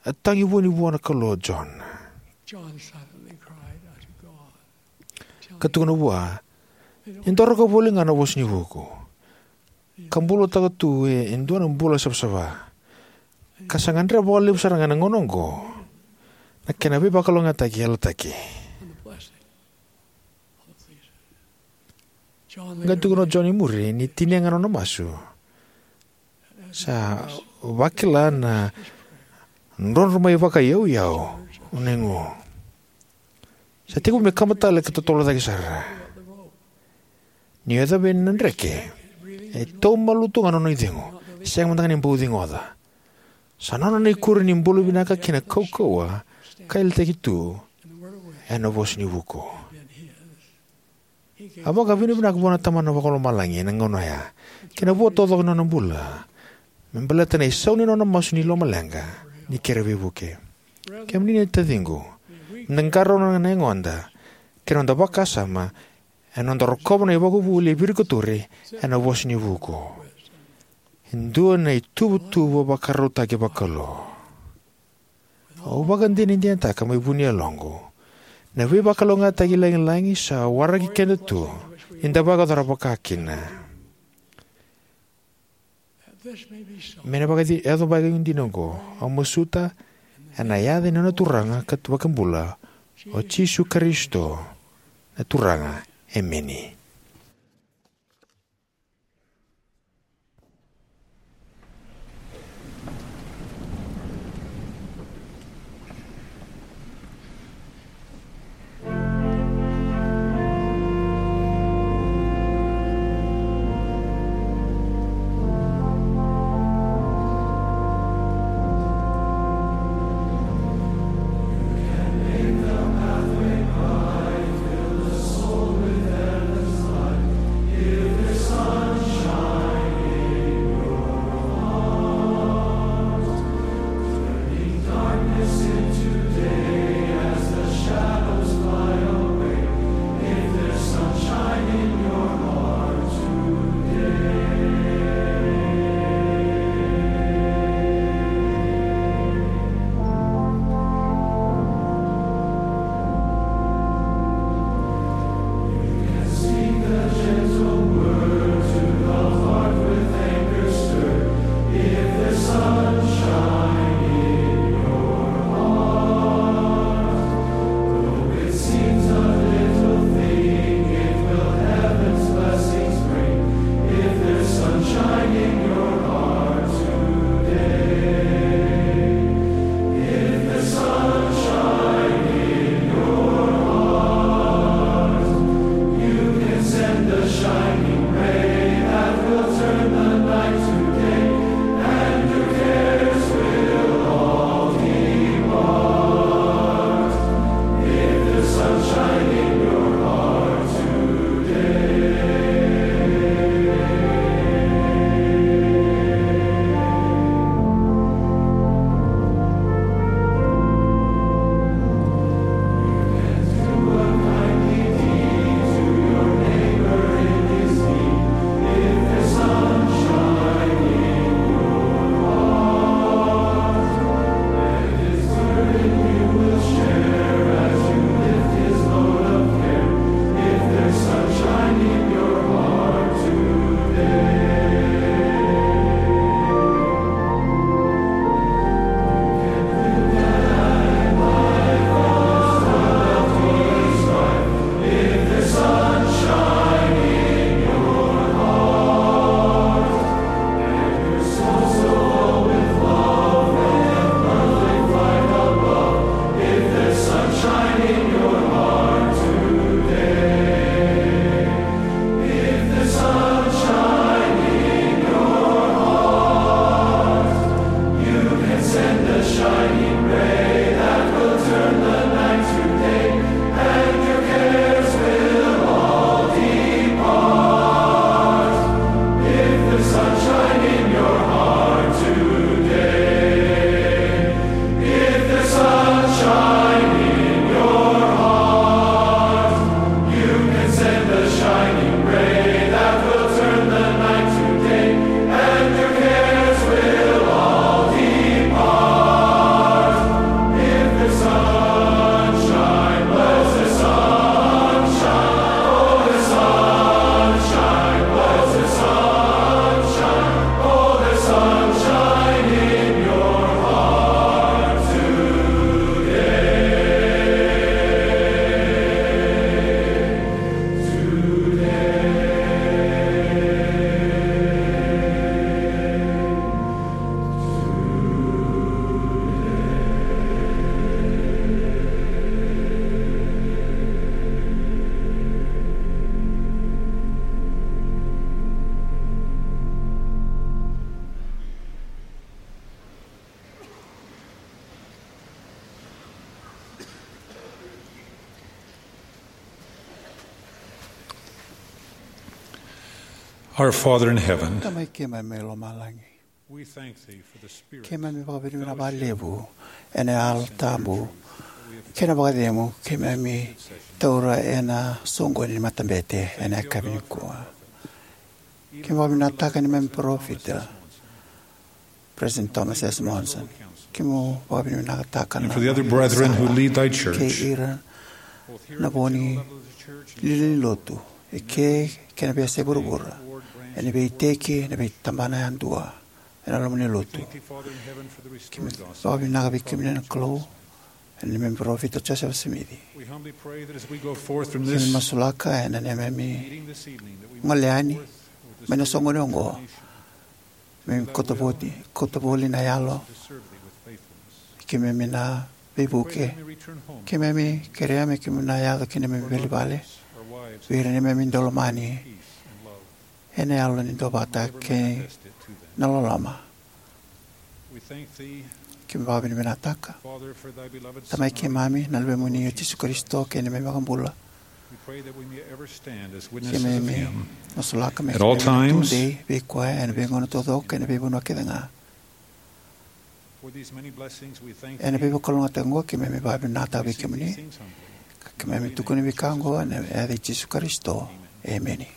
a tagi vua ni vua na Kalou o John. John silently cried unto God. Ka tukuna vua, e doraka voli ga na vosa ni vuku, ka bulataka tu e, e dua na bula savasava. Ka sa gadreva vakalevu sara ga na gauna oqo na kena veivakalougatataki yalataki. Qai tukuna o John i muri ni tinia ga na nona masu, sa vakila na drodro mai vakayauyau na igu. Sa tekivu me kaba tale ka totolo cake sara. Ni o yacovi na dreke, e taumalutu ga na nona icegu, sega mada ga ni bau cigoca. Sa nona na ikuri ni bula vinaka kei na kaukauwa ka yalataki tu ena vosa ni vuku. A vakavinavinaka vua na Tamana Vakalomalagi ena gauna oya kei na vua taucoko ni nona bula me baleta na isau ni nona masu ni lomaleqa ni kere veivuke. Kemuni na taciqu, da qarauna na yagoda kei na noda vakasama ena noda rokova na ivakavuvuli e virikotori ena vosa ni vuku. E dua na ituvatuva vakarautaki vakalou. Au vakadinadinataka mai vu ni yaloqu na veivakalougatataki lagilagi sa waraki keda tu ni da vakayacora vakakina. Me na vakayaco vakaidina oqo, au masuta ena yaca ni noda Turaga ka Vakabula, o Jisu Karisito, na Turaga. Emeni. Our Father in heaven, Tamai keimami mai lomalagi, we thank thee for the Spirit keimami vakavinavinaka vakalevu ena Yalo Tabu kei na vakacegu keimami taura ena soqoni ni matabete ena yakavi nikua. Keimami vakavinavinakataka neimami parofita, President Thomas S. Monson. Keimami vakavinavinakataka na for the other brethren who lead thy church, kei ira na vo ni lewe ni lotu e ke kei na veiyasai vuravura, ena veiiteki, ena veitabana yadua, ena loma ni lotu. Keimami vakavinavinaka vei kemuni na Kalou ena neimami parofita Josefa Simici. Keimami masulaka ena neimami gole yani mai na soqoni oqo, me kauta voli, kauta voli na yalo. Keimami na veivuke. Keimami kerea me keimami na yaco ki neimami veivale vei ira neimami daulomani ena yalo ni duavata kei na loloma. Keimami vakavinavinakataka, Tamai keimami, na Luvemuni o Jisu Karisito kei na neimami iVakabula. Keimami masulaka me keimami na tudei vei koya ena veigauna taucoko kei na veivanua kece ga. Ena veivakalougatataki oqo keimami vakavinavinakataka vei kemuni, ka keimami tukuna veika oqo ena yaca i Jisu Karisito. Emeni.